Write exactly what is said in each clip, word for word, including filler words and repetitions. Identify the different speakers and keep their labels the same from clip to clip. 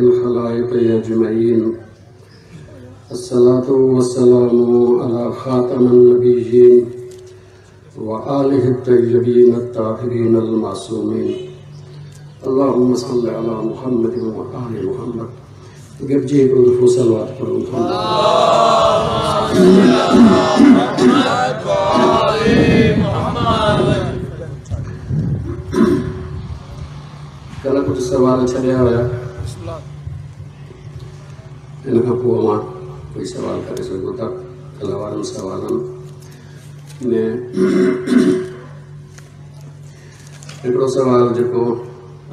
Speaker 1: الخلائق أجمعين. الصلاة والسلام على خاتم النبيين وآله الطيبين الطاهرين المعصومين. اللهم صل على محمد وآل محمد. गिरजी हिकिड़ो दफ़ो सलवात पढ़ूं था। कल्ह कुझु सवाल छॾिया हुया, इन खां पोइ मां कोई सवाल करे सघो था। कल्ह वारनि सवालनि में हिकिड़ो सवाल जेको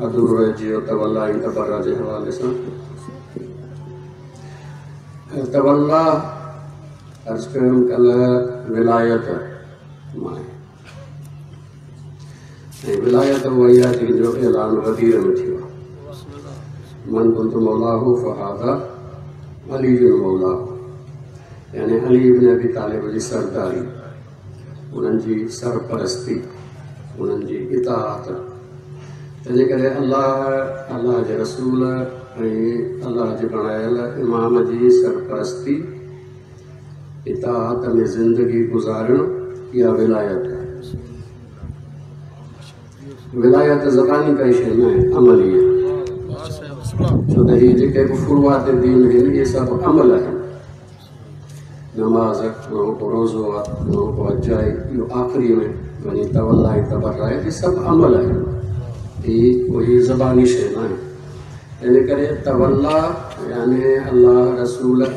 Speaker 1: अधूरो रहिजी वियो तवला ऐं तबरा जे हवाले सां। तवला अर्ज़ कयुमि कल्ह विलायत मां आहे ऐं विलायत उहा ई आहे जंहिंजो ऐलान ग़दीर में थियो आहे। मन कुंतु मौलाहु फहादा अली मौलाहु, यानी अली इब्न अबी तालिब जी सरदारी, उन्हनि जी सरपरस्ती, उन्हनि जी इताअत। तंहिंजे करे अलाह, अलाह जे रसूल ऐं अलाह जे बणायल इमाम जी सरपरस्ती, इताअत में ज़िंदगी गुज़ारणु इहा विलायत आहे। विलायत ज़बानी काई शइ न आहे, अमली आहे। छो त हीअ जेके बि फुरुआत दीन आहिनि इहे सभु अमल आहिनि। नमाज़, उन रोज़ो आहे, उन हज आहे, इहो आख़िरी में वञी तवला ऐं तबर आहे, इहे सभु अमल आहिनि। हीअ कोई ज़बानी शइ न आहे। तंहिंजे करे तवला यानी अलाह, रसूल ऐं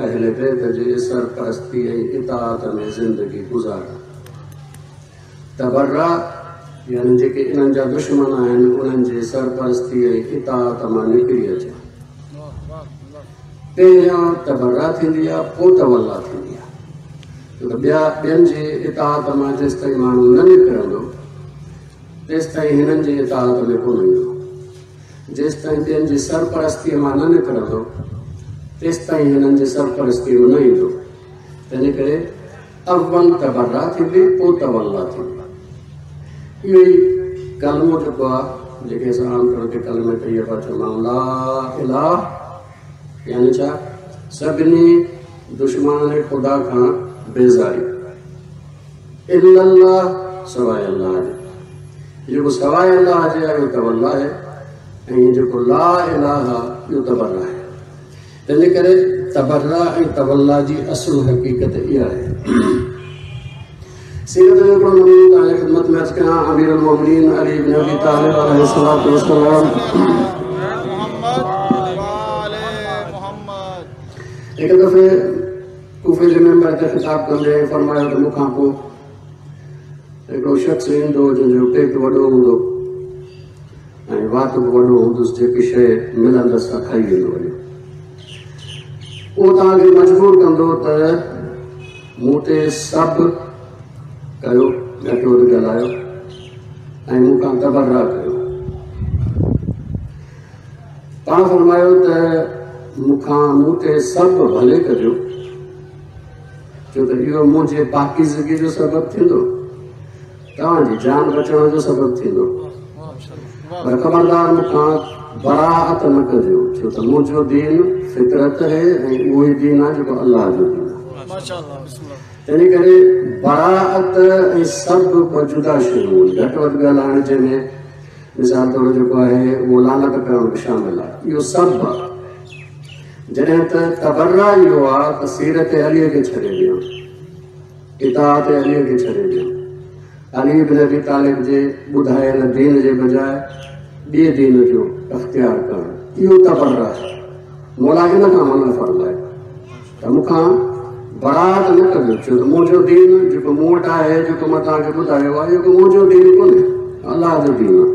Speaker 1: अहल बैत जे सरपरस्ती ऐं इताअत में ज़िंदगी गुज़ारणु। तबर्रा यानी जेके इन्हनि जा दुश्मन आहिनि उन्हनि जे सरपरस्ती ऐं इताअत मां निकिरी अचणु। पहिरियां तबर्रा थींदी आहे, पोइ तवला थींदी आहे। छो त ॿिया ॿियनि जे इताअत मां जेसि ताईं माण्हू न निकिरंदो तेसि ताईं हिननि जे इताअत में कोन ईंदो। जेसि ताईं ॿियनि जी सरपरस्तीअ मां न निकिरंदो तेसि ताईं हिननि जी सरपरस्तीअ में न ईंदो। तंहिंजे करे अव्वल तबर्रा थींदी, पोइ तवला थींदी। इहो ई कलमो जेको आहे, जेके असां आम तौर ते कलमे तैयबा चवंदा आहियूं, ला इलाहा यानी छा, सभिनी दुश्मननि ख़ुदा खां बेज़ारी, इल्लल्लाह सवाइ अल्लाह जे। जेको सवाइ अल्लाह जे आहे उहो तवला आहे ऐं जेको ला इलाहा इहो तबर्रा आहे। तंहिंजे करे तबर्रा ऐं तवला जी असुल हक़ीक़त इहा आहे। सीरत जो हिकिड़ो नमूनो तव्हांजी ख़िदमत में अर्ज़ कयां। अमीर उल-मोमिनीन अली इब्न अबी तालिब अलैहिस्सलातु वस्सलाम हिकु दफ़े कूफे जे मेंबर ते ख़िताब कंदे फरमायो त मूंखां पोइ हिकिड़ो शख़्स ईंदो जंहिंजो पेटु वॾो हूंदो ऐं वात बि वॾो हूंदुसि, जेकी शइ मिलंदसि सा खाई वेंदो वञे। उहो तव्हांखे मजबूर कंदो त मूं ते सभु कयो, घटि वधि ॻाल्हायो ऐं मूंखां तबर्रा कयो। पाण फरमायो त मूंखां मूं ते सभु भले कजो, छो त इहो मुंहिंजे पाकीज़गी जो सबबु थींदो, तव्हांजी जान बचण जो सबबु थींदो। पर ख़बरदार मूंखां बराअत न कजो, छो त मुंहिंजो दीन फितरत आहे ऐं उहो ई दीन आहे जेको अलाह जो दीन आहे। तंहिंजे करे बराअत ऐं सभु ॿ जुदा शयूं आहिनि। घटि वधि ॻाल्हाइण जंहिंमें मिसाल तौरु जेको आहे उहो लानत करणु बि शामिलु आहे, इहो सभु आहे। जॾहिं त तबर्रा इहो आहे त सीरत अलीअ खे छॾे ॾियण, इताअत अलीअ खे छॾे ॾियण, अली इब्न अबी तालिब जे ॿुधायल दीन जे बजाए ॿिए दीन जो अख़्तियार करणु, इहो तबर्रा आहे। मौला इन खां मना फरमाए त मूंखां बराअत न कजो, छो त मुंहिंजो दीन जेको मूं वटि आहे, जेको मां तव्हांखे ॿुधायो आहे, इहो मुंहिंजो दीन कोन्हे, अलाह जो दीन आहे।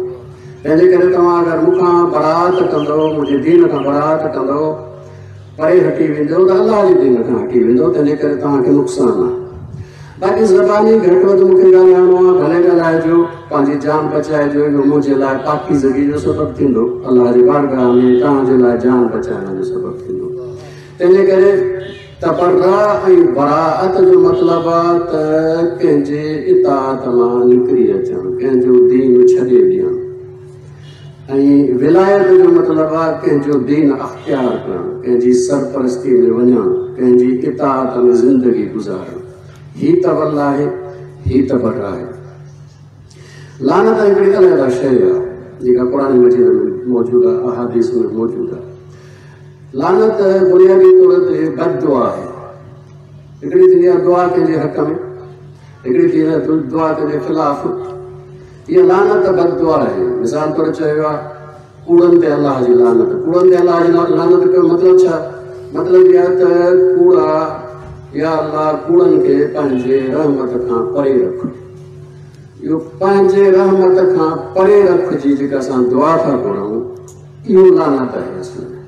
Speaker 1: तंहिंजे करे तव्हां अगरि मूंखां बराअत कंदव, मुंहिंजे दीन खां बराअत कंदव, परे हटी वेंदव त अलाह जे दीन खां हटी वेंदव, तंहिंजे करे तव्हांखे नुक़सानु आहे। बाक़ी ज़बानी घटि वधि मूंखे ॻाल्हाइणो आहे, भले ॻाल्हाइजो, पंहिंजी जान बचाइजो, इहो मुंहिंजे लाइ पाकीज़गी जो सबबु थींदो, अलाह जी बारगाह में तव्हांजे लाइ जान बचाइण जो सबबु थींदो। तंहिंजे करे तबर्रा ऐं बराअत जो मतिलबु आहे त कंहिंजे इताअत मां निकिरी अचणु, कंहिंजो दीन छॾे ॾियणु। ऐं विलायत जो मतिलबु आहे कंहिंजो दीन अख़्तियार करणु, कंहिंजी सरपरस्ती में वञणु, कंहिंजी इताअत में ज़िंदगी गुज़ारणु। ही त वल आहे, ही त बर आहे। लानत हिकिड़ी अलहिदा शइ आहे जेका क़ुरान मजीद में मौजूदु आहे, अहादीस में मौजूदु आहे। लानत बुनियादी तौर ते बद दुआ आहे। हिकिड़ी थींदी आहे दुआ कंहिंजे हक़ में, हिकिड़ी थींदी आहे दुआ कंहिंजे ख़िलाफ़। इहा लानत बद दुआ आहे। मिसाल तौर चयो आहे कूड़नि ते अलाह जी लानत। कूड़नि ते अलाह जी लानत जो मतिलबु छा? मतिलबु इहा त कूड़ा या अलाह कूड़नि खे पंहिंजे रहमत खां परे रख। इहो पंहिंजे रहमत खां परे रख जी जेका असां दुआ था घुरूं, इहो लानत आहे। असल में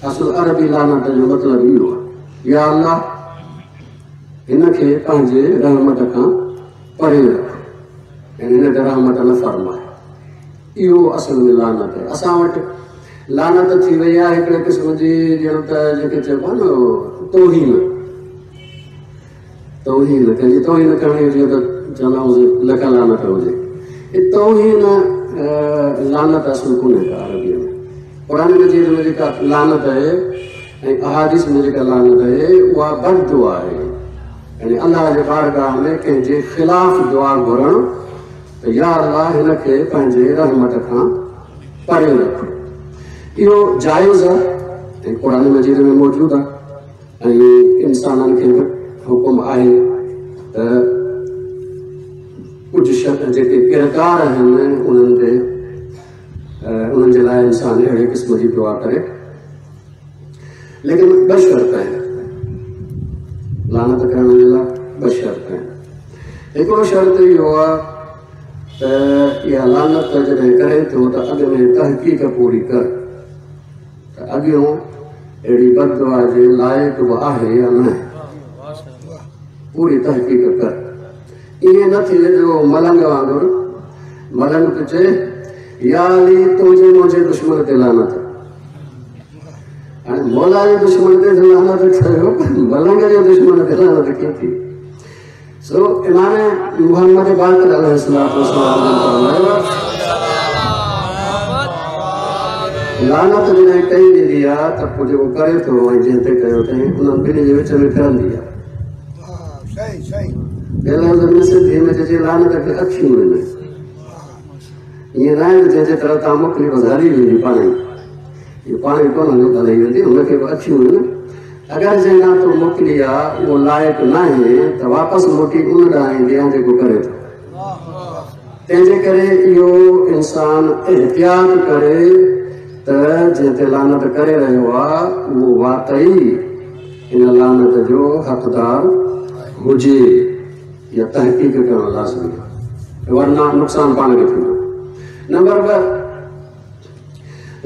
Speaker 1: असुल अरबी लानत जो मतिलबु इहो आहे, या अलाह हिन खे पंहिंजे रहमत खां परे रख, यानी हिन ते रहमत न फरमाए। इहो असल में लानत आहे। असां वटि लानत थी वई आहे हिकिड़े क़िस्म जी, ॼण त जेके चइबो आहे न तौहीन। तौहीन कंहिंजी तौहीन करणी हुजे त चवंदा आहियूं लख लानत हुजे। तौहीन लानत असुल कोन्हे का अरबीअ में। क़ुरान मजीद में जेका लानत आहे ऐं अहादीस में जेका लानत आहे उहा बद दुआ आहे। यानी अलाह जे बारगाह में कंहिंजे ख़िलाफ़ दुआ घुरणु त या अलाह हिन खे पंहिंजे रहमत खां परे रख। इहो जाइज़ आहे ऐं क़ुरान मजीद में मौजूदु आहे ऐं इंसाननि खे बि हुकुम आहे त कुझु जेके किरदार आहिनि उन्हनि ते उन्हनि जे लाइ इंसान अहिड़े क़िस्म जी दुआ करे। लेकिन ॿ शर्त आहिनि लानत करण जे लाइ, ॿ शर्त आहिनि। हिकिड़ो शर्त इहो आहे त इहा लानत जॾहिं करे थो त अॻु में तहक़ीक़ पूरी कर, त अॻियों अहिड़ी बददुआ जे लाइक़ बि आहे या न, पूरी तहक़ीक़ कर। ईअं न थिए जो मलंग वांगुरु मलंग पियो चए या अली तुंहिंजे मुंहिंजे दुश्मन ते लानत। हाणे मौला जे दुश्मन ते लानत ठहियो, मलंग जे दुश्मन ते लानत कीअं थी? सो इमाम मुहम्मद बाक़िर अलैहिस्सलाम फरमायो लानत जॾहिं कई वेंदी आहे त पोइ जेको करे थो ऐं जंहिं ते कयो अथई उन्हनि ॿिन्ही जे विच में फिरंदी आहे। ॿिए लफ़्ज़ में सिंधीअ में चइजे लानत खे अखियूं आहिनि, ईअं न आहे जंहिंजे तरफ़ तव्हां मोकिली बसि हली वेंदी पाण ई, इहो पाण ई कोन हली वेंदी, हुनखे बि अखियूं आहिनि। अगरि जंहिं ॾांहुं तूं मोकिली आहे उहो लाइक़ न आहे त वापसि मोटी उन ॾांहुं ईंदी आहे जेको करे थो। तंहिंजे करे इहो इंसान एहतियात करे त जंहिं ते लानत करे रहियो आहे उहो वाकई इन लानत जो हक़दार हुजे, या तहक़ीक़ करणु लाज़मी आहे, वरना नुक़सानु पाण खे थींदो। नंबर ॿ,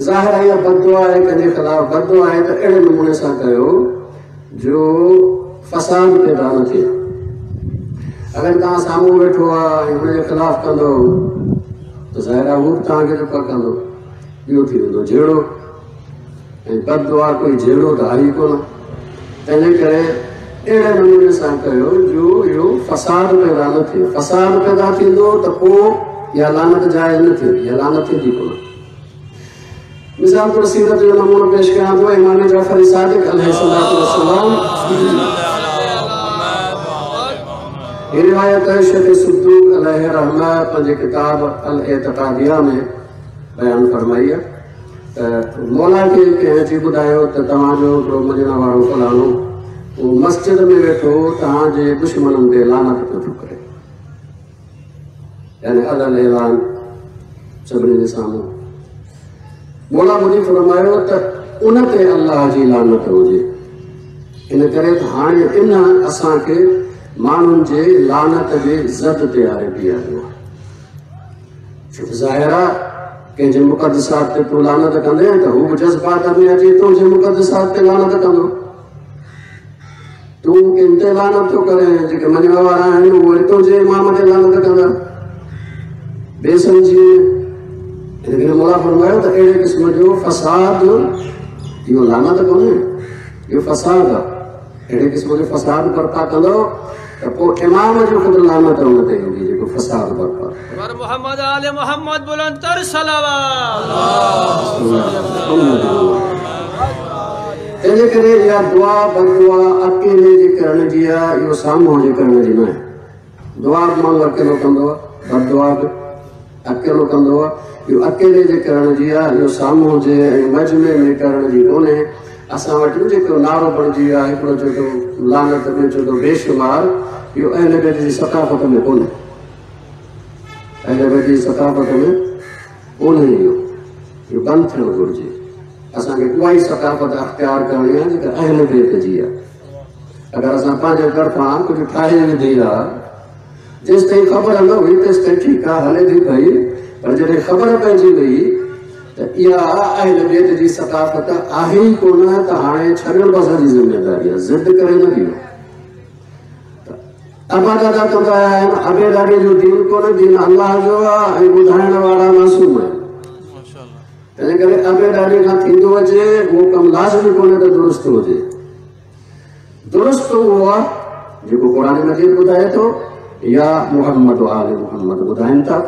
Speaker 1: ज़ाहिर आहे इहा बददुआ आहे, कंहिंजे ख़िलाफ़ बददुआ आहे त अहिड़े नमूने सां कयो जो फसाद पैदा न थिए। अगरि तव्हां साम्हूं वेठो आहे ऐं हुनजे ख़िलाफ़ कंदो त ज़ाहिर आहे हू बि तव्हांखे जेको कंदो, ॿियो थी वेंदो झेड़ो। ऐं बददुआ कोई झेड़ो त आहे ई कोन, तंहिंजे करे अहिड़े नमूने सां कयो जो इहो फसाद पैदा न थिए। फसाद पैदा थींदो त पोइ इहा लानत जाइज़ न थींदी, इहा लानत थींदी कोन। मिसाल तौर सीरत जो नमूनो पेश कयां थो। इमाम जाफ़र सादिक़ अलैहिस्सलाम, हीअ रिवायत शेख सिद्दूक़ अलैहि रहमा पंहिंजे किताब अल एतक़ादिया में बयानु फरमाई आहे त मौला खे कंहिं अची ॿुधायो त तव्हांजो हिकिड़ो मञण वारो फलाणो उहो मस्जिद में वेठो तव्हांजे दुश्मननि ते लानत पियो थो करे, यानी अलल ऐलान सभिनी जे साम्हूं। मौला ॿुधी फरमायो त उन ते अलाह जी लानत हुजे, इन करे त हाणे इन असांखे माण्हुनि जे लानत जे ज़द ते आरे बीहारियो आहे। छो त ज़ाहिर आहे कंहिंजे मुक़दसात ते तूं लानत कंदे त हू बि जज़्बात में अची तुंहिंजे मुक़दसात ते लानत कंदो। तूं कंहिं ते लानत थो करे, जेके मञण वारा आहिनि उहे वरी तुंहिंजे इमाम ते लानत कंदा बेसमझी। इन करे मौला फरमायो त अहिड़े क़िस्म जो फसाद इहो लानत कोन्हे, इहो फसाद आहे। अहिड़े क़िस्म जो फसाद बर्पा कंदो त पोइ इमाम जो ख़ुदि लानत हुन ते ईंदी जेको फसाद बर्पा।
Speaker 2: पर मोहम्मद आले मोहम्मद बुलंद तर सलावत।
Speaker 1: तंहिंजे करे इहा दुआ बदुआ अकेले जे करण जी आहे, इहो साम्हूं जे करण जी न आहे। दुआ बि माण्हू अकेलो कंदो आहे, बदुआ बि अकेलो कंदो आहे। इहो अकेले जे करण जी आहे, इहो साम्हूं जे ऐं मजमे में करण जी कोन्हे। असां वटि जेको नारो बणिजी वियो आहे, हिकिड़ो चए थो लानत, ॿियो चए थो बेशुमार, इहो अहले बैत जी सकाफ़त में कोन्हे, अहले बैत जी सकाफ़त में कोन्हे। इहो इहो बंदि थियणु घुरिजे। असांखे उहा ई सकाफ़त अख़्तियार करणी आहे जेका अहले बैत जी आहे। अगरि असां पंहिंजे तरफ़ां कुझु ठाहे विधी आहे, जेसि ताईं ख़बर न हुई तेसि ताईं ठीकु आहे, हले थी पई, पर जॾहिं ख़बर पइजी वई त इहा अहले बैत जी सकाफ़त आहे ई कोन, त हाणे छॾणु बि असांजी ज़िम्मेदारी आहे, ज़िद करे न ॾियो। अबा दादा कंदा आया आहिनि, अबे दादे जो दीन कोन्हे, दीन अलाह जो आहे ऐं ॿुधाइण वारा मासूम आहिनि। तंहिंजे करे अबे दादे खां थींदो अचे उहो कमु लाज़मी कोन्हे त दुरुस्त हुजे। दुरुस्त उहो आहे जेको क़ुरान मजीद ॿुधाए थो या मोहम्मद आले मोहम्मद ॿुधाइनि था,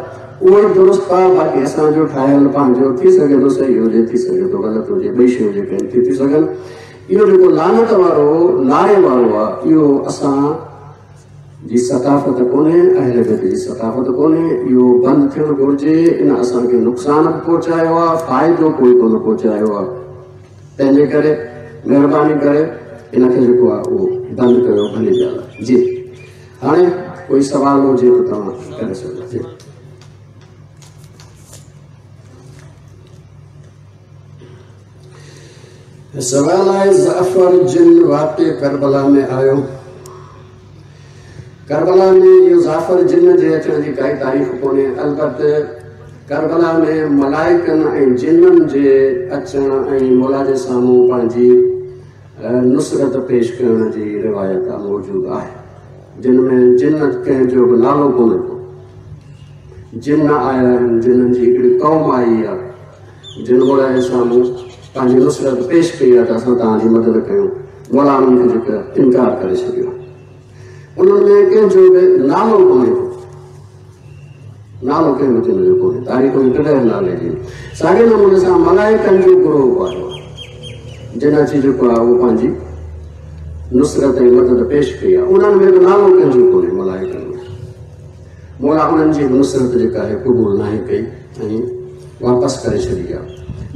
Speaker 1: उहो ई दुरुस्त आहे। बाक़ी असांजो ठाहियल पंहिंजो थी सघे थो सही हुजे, थी सघे थो ग़लति हुजे, ॿई शयूं जेके आहिनि थी थी सघनि। इहो जेको लानत वारो नारे वारो आहे, इहो असां जी सकाफ़त कोन्हे, अहले बैत जी सकाफ़त कोन्हे। इहो बंदि थियणु घुरिजे। इन असांखे नुक़सानु बि पहुचायो आहे, फ़ाइदो कोई कोन पहुचायो आहे। तंहिंजे करे महिरबानी करे इनखे जेको आहे उहो बंदि कयो, भली ॻाल्हि आहे जी। हाणे कोई सवाल हुजे त तव्हां करे सघो जी। सवाल आहे, ज़फ़र जिन वाक़े करबला में आयो। करबला में इहो ज़ाफ़र जिन जे अचण जी काई तारीख़ कोन्हे। अलबत् करबला में मलाइकनि ऐं जिन्ननि जे अचण ऐं मौला जे साम्हूं पंहिंजी नुसरत पेश करण जी रिवायत मौजूदु आहे, जिन में जिन कंहिंजो बि नालो कोन्हे को। जिन आया आहिनि, जिन्ननि जी हिकिड़ी क़ौम आई आहे, जिन मौला जे साम्हूं पंहिंजी नुसरत पेश कई आहे त असां तव्हांजी मदद कयूं, मौला उन्हनि खे जेको इनकार करे छॾियो। उन्हनि में कंहिंजो बि नालो कोन्हे को, नालो कंहिं बि जिन जो कोन्हे, तारीख़ में कॾहिं नाले जी। साॻे नमूने सां मलाइकनि जो ग्रोह आयो, जिन अची जेको आहे उहो पंहिंजी नुसरत ऐं मदद पेश कई आहे, उन्हनि में बि नालो कंहिंजो कोन्हे। मलाइकनि में मौला उन्हनि जी नुसरत जेका आहे क़बूल नाहे कई ऐं वापसि करे छॾी आहे।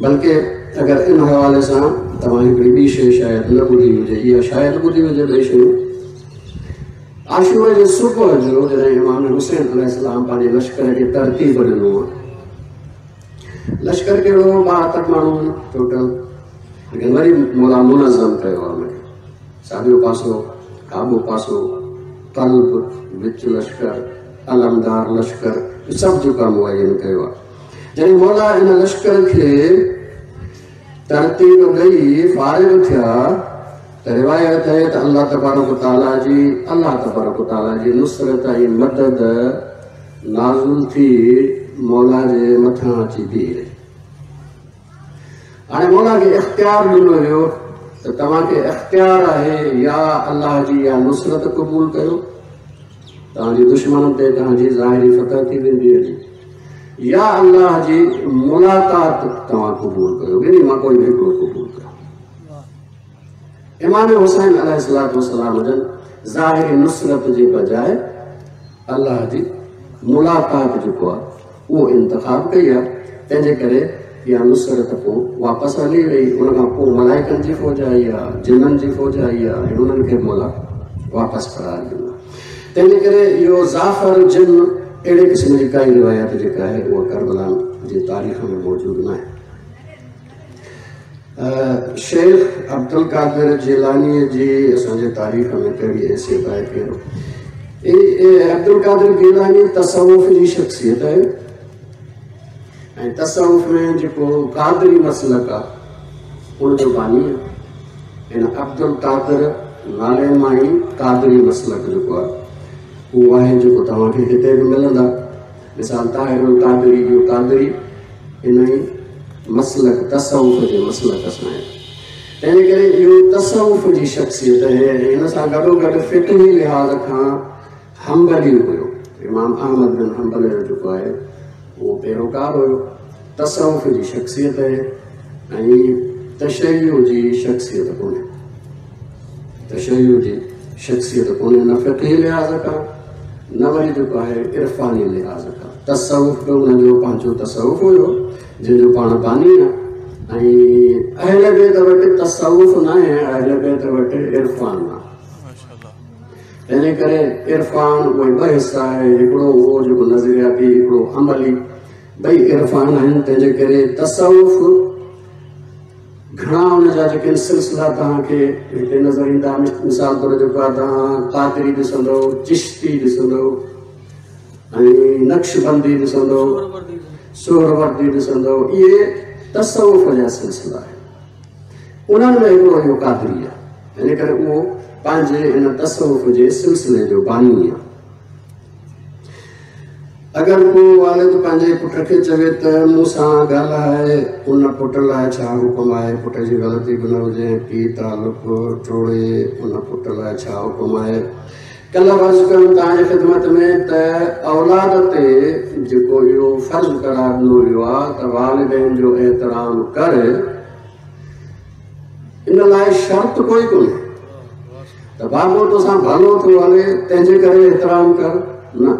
Speaker 1: बल्कि अगरि इन हवाले सां तव्हां हिकिड़ी ॿी शइ शायदि न ॿुधी हुजे, इहा शायदि ॿुधी हुजे ॿई शयूं। आशूर जे सुबुह जो जॾहिं इमाम हुसैन अलैहिस्सलाम पंहिंजे लश्कर खे तरतीब ॾिनो आहे, लश्कर कहिड़ो ॿाहतरि माण्हू टोटल, लेकिन वरी मौला मुनज़म कयो आहे हुनखे, साॼो पासो खाॿो पासो, कल्ब विच लश्कर, अलमदार लश्कर, सभु जेको आहे मुअयन कयो आहे। जॾहिं मौला इन लश्कर खे तरतीब ॾेई फ़ारिग थिया त रिवायत आहे त अलाह तबारक ताला जी अलाह तबारक ताला जी नुसरत ऐं मदद नाज़ुल थी मौला जे मथां अची बीहे रही। हाणे मौला खे इख़्तियार ॾिनो वियो त तव्हांखे इख़्तियार आहे या अलाह जी या नुसरत क़बूल कयो, तव्हांजी दुश्मन ते तव्हांजी ज़ाहिरी फतह थी वेंदी हली, या अलाह जी मुलाक़ात तव्हां क़बूल कयो, ॿिन्ही मां कोई बि हिकिड़ो क़बूल कयो। इमाम हुसैन अलैहिस्सलाम जन ज़ाहिरी नुसरत जे बजाए अलाह जी मुलाक़ात जेको आहे उहो इंतिखाब कई आहे। तंहिंजे करे इहा नुसरत पोइ वापसि हली वई। उन खां पोइ मलाइकनि जी फ़ौज आई आहे, जिन्ननि जी फ़ौज आई आहे ऐं उन्हनि खे मौला वापसि करार ॾिनो। तंहिंजे करे इहो ज़ाफ़र जिन अहिड़े क़िस्म जी काई रिवायत जेका आहे उहा करबला जी तारीख़ में मौजूदु न आहे। शेख अब्दुल कादिर जिलानीअ जी असांजे तारीख़ में कहिड़ी हैसियत आहे? कहिड़ो अब्दुल कादिर गिलानी तसवुफ़ जी शख़्सियत आहे ऐं तसवुफ़ में जेको कादरी मसलक आहे उनजो बानी आहे। हिन अब्दुल कादिर नाले मां ई कादरी मसलक जेको आहे उहो आहे जेको तव्हांखे हिते बि मिलंदा। मिसाल ताहिरुल कादरी जो कादरी इन ई मसलक तसवुफ़ जे मसलक सां आहे। तंहिंजे करे इहो तसवुफ़ जी शख़्सियत आहे। हिन सां गॾोगॾु फ़िक़ही लिहाज़ खां हम्बली हुयो। इमाम अहमद बिन हम्बल जो जेको आहे उहो पैरोकार हुयो। तसवुफ़ जी शख़्सियत आहे ऐं तशय्यु जी शख़्सियत कोन्हे, तशय्यु जी शख़्सियत कोन्हे, न फ़िक़ही लिहाज़ खां न वरी जेको आहे इरफ़ानी लिहाज़ खां। तसवुफ़ बि हुनजो पंहिंजो तसवुफ़ हुयो जंहिंजो पाण बानी आहे। ऐं अहल बैत वटि तसवुफ़ न आहे, अहल बैत वटि इरफ़ान आहे। तंहिंजे करे इरफ़ान उहे ॿ हिसा आहे, हिकिड़ो उहो जेको नज़रियाती, हिकिड़ो अमली, ॿई इरफ़ान आहिनि। तंहिंजे करे तसवुफ़ घणा हुनजा जेके सिलसिला तव्हांखे हिते नज़र ईंदा। मिसाल तौरु जेको आहे तव्हां क़ादरी ॾिसंदव, चिश्ती ॾिसंदव ऐं नक्शबंदी ॾिसंदव, सोहरवर्दी ॾिसंदव, इहे तसवुफ़ जा सिलसिला आहिनि। उन्हनि में हिकिड़ो इहो क़ादरी आहे, इन करे उहो पंहिंजे हिन तसवुफ़ जे सिलसिले जो बानी आहे। अगरि को वालिद पंहिंजे पुट खे चवे त मूंसां ॻाल्हाए, उन पुट लाइ छा हुकुम आहे? पुट जी ग़लती बि न हुजे, पीउ तालुक टोड़े, उन पुट लाइ छा हुकुम आहे? कल्ह अर्ज़ु कयुमि तव्हांजी ख़िदमत में त औलाद ते जेको इहो फ़र्ज़ करार ॾिनो वियो आहे त वालिदैन जो एतिराम कर, इन लाइ शर्त कोई कोन्हे त बाबो तोसां भलो थो हले तंहिंजे करे एतिराम कर, न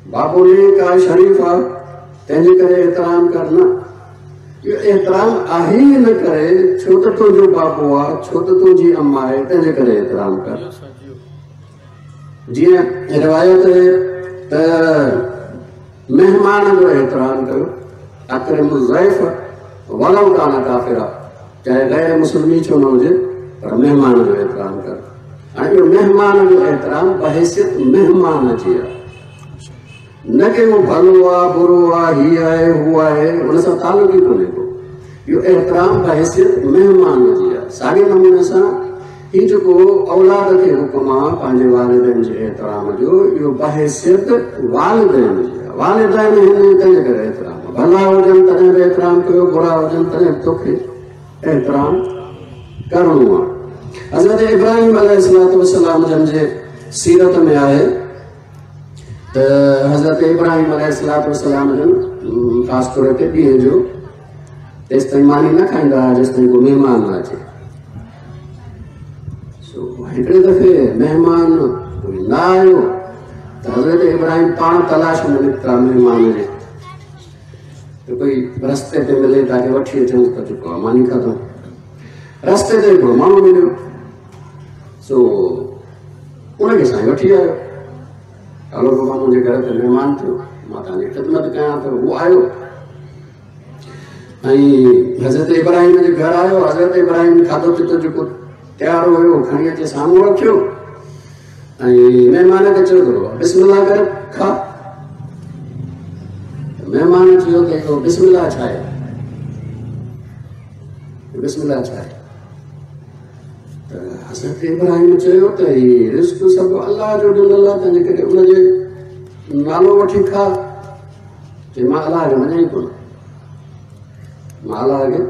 Speaker 1: बाबो नेक आहे शरीफ़ आहे तंहिंजे करे एतिराम कर, न। इहो एतिराम आहे ई इन करे छो त तुंहिंजो बाबो आहे, छो त तुंहिंजी अम्मा आहे, तंहिंजे करे एतिराम कर। जीअं रिवायत आहे त महिमान जो एतिराम कयो, अकरिम ज़ैफ़ वलौ कान काफ़िरा, चाहे ग़ैर मुस्लिमी छो न हुजे पर महिमान जो एतिराम कर। हाणे इहो महिमान जो एतिराम बहैसियत महिमान जी आहे, न कि उहो भलो आहे बुरो आहे, हीअ आहे हू आहे, हुन सां तालुक ई कोन्हे को। इहो एतिराम बहैसियत महिमान जी आहे। साॻे नमूने सां हीउ जेको औलाद खे हुकुम आहे पंहिंजे वालिदैन जे एतिराम जो, इहो बहैसियत वालिदैन जी आहे। वालिदैन आहिनि तंहिंजे करे एतिराम, भला हुजनि तॾहिं बि एतिराम कयो, बुरा हुजनि तॾहिं बि तोखे एतिराम करिणो आहे। हज़रत इब्राहिम अलैहिस्सलाम जन जे सीरत में आहे त हज़रत इब्राहिम अलैहिस्सलाम जन ख़ासि तौर ते ॾींहं जो तेसि ताईं मानी न खाईंदा हुआ जेसि ताईं को महिमान न अचे। सो हिकिड़े दफ़े महिमान कोई न आयो त हज़रत इब्राहिम पाण तलाश में निकिता महिमान जे, त कोई रस्ते ते मिले ताकि वठी अचूं त जेको आहे मानी खाधो। रस्ते ते हिकिड़ो माण्हू मिलियो, सो उनखे साईं वठी आयो, हलो बाबा मुंहिंजे घर ते महिमान थियो, मां तव्हांजी ख़िदमत कयां थो। उहो आयो ऐं हज़रत इब्राहिम जे घर आयो। हज़रत इब्राहिम खाधो पीतो जेको तयारु हुयो खणी अचे साम्हूं रखियो ऐं महिमान खे चयो त बिस्मिल्लाह करे खा। महिमान चयो त इहो बिस्मिल्लाह छा आहे, बिस्मिल्लाह छा आहे? त हज़रत इब्राहिम चयो त हीउ रिज़्क सभु अलाह जो ॾिनल आहे, तंहिंजे करे उनजे नालो वठी खा। चई मां अलाह खे मञा ई कोन, मां अलाह खे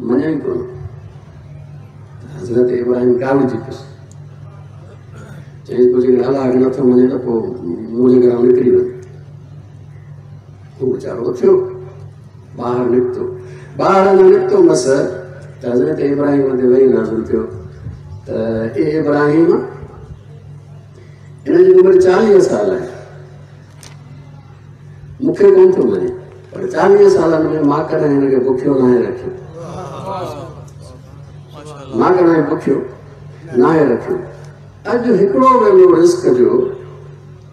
Speaker 1: मञा ई कोन। हज़रत इब्राहिम काविड़जी पियुसि, चई पोइ जेकॾहिं अलाह खे नथो मञे त पोइ मुंहिंजे घर निकिरी वञ। उहो वीचारो उथियो ॿाहिरि निकितो, ॿाहिरि अञा निकितो मस त हज़रत इब्राहिम ते वही नाज़िल थियो त ए इब्राहिम, हिन जी उमिरि चालीह साल आहे, मूंखे कोन थो मञे, पर चालीह सालनि में मां कॾहिं हिन खे बुखियो नाहे रखियो, मां कॾहिं बुखियो नाहे रखियो। अॼु हिकिड़ो वेलो रिस्क जो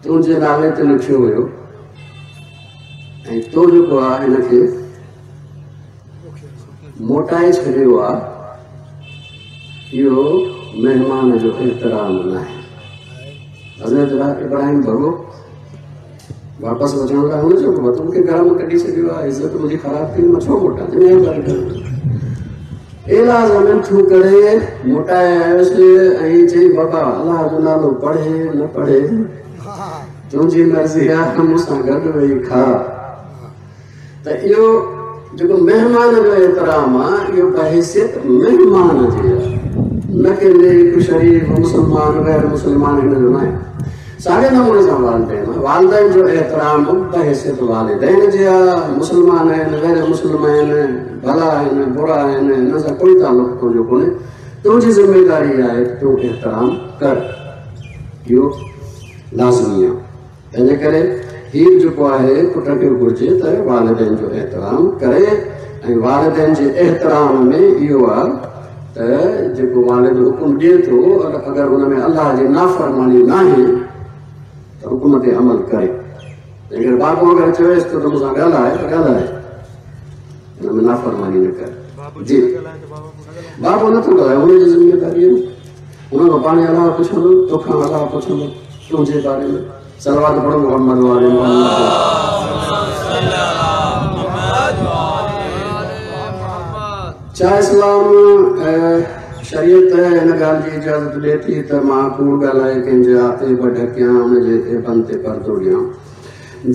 Speaker 1: तुंहिंजे नाले ते लिखियो हुयो ऐं तो जेको आहे हिनखे मोटाए छॾियो आहे, इहो महिमान जो एतिराम न आहे। हज़रत इब्राहिम भॻो वापसि वञण लाइ, हुन चयो बाबा तूं मूंखे घर मां कढी छॾियो आहे, इज़त मुंहिंजी ख़राबु थी, मां छो मोटां? एॾा ज़मीन करे मोटाए आयुसि ऐं चई बाबा अलाह जो नालो पढ़े न पढ़े तुंहिंजी मर्ज़ी आहे, मूंसां गॾु वेही खा। त इहो जेको महिमान जो एहतिराम आहे इहो बहैसियत महिमान जे आहे, न कि नेक शरीफ मुसलमान गैर मुसलमान हिन जो न आहे। साॻे नमूने सां वालिदैन आहे, वालिदैन जो एहतिराम बहैसियत वालिदैन जे आहे। मुसलमान आहिनि गैर मुस्लिम आहिनि, भला आहिनि बुरा आहिनि, हिन सां कोई तालुक़ तुंहिंजो कोन्हे। तुंहिंजी ज़िम्मेदारी आहे तूं एहतिराम कर, इहो लाज़मी आहे। तंहिंजे करे हीअ जेको आहे पुट खे घुरिजे त वालिदैन जो एहतिराम करे। ऐं वालिदैन जे एहतिराम में इहो आहे त जेको वालिद हुकुम ॾिए थो, अगरि हुन में अलाह जी नाफ़रमानी न आहे त हुकुम ते अमल करे। अगरि बाबू अगरि चवेसि थो त मूंसां ॻाल्हाए त ॻाल्हाए, हुन में नाफ़रमानी न करे। जी बाबू नथो ॻाल्हाए, हुनजी ज़िम्मेदारी आहे, हुन खां पाण अलाह पुछंदो, तोखां अलाह पुछंदो तुंहिंजे बारे में। सलवात पढ़ो मोहम्मद वाले मोहम्मद। छा इस्लाम शरीयत हिन ॻाल्हि जी इजाज़त ॾिए थी त मां कूड़ ॻाल्हाए कंहिंजा ऐब ढकियां, हुनजे ऐबनि ते पर्दो ॾियां?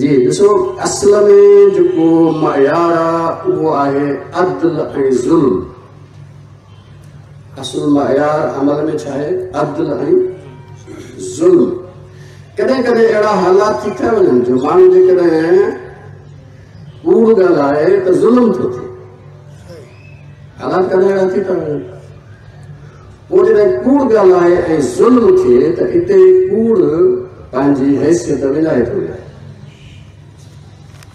Speaker 1: जी ॾिसो, असल में जेको मयार आहे उहो आहे अदल ऐं ज़ुल्म। असुल मयार अमल में छा आहे? अदल ऐं ज़ुल्म। कॾहिं कॾहिं अहिड़ा हालात थी था वञनि जो माण्हू जेकॾहिं कूड़ ॻाल्हाए त ज़ुल्म थो थिए। हालात कॾहिं अहिड़ा थी था वञनि। पोइ जॾहिं कूड़ ॻाल्हाए ऐं ज़ुल्म थिए त हिते कूड़ पंहिंजी हैसियत विञाए थो वञे।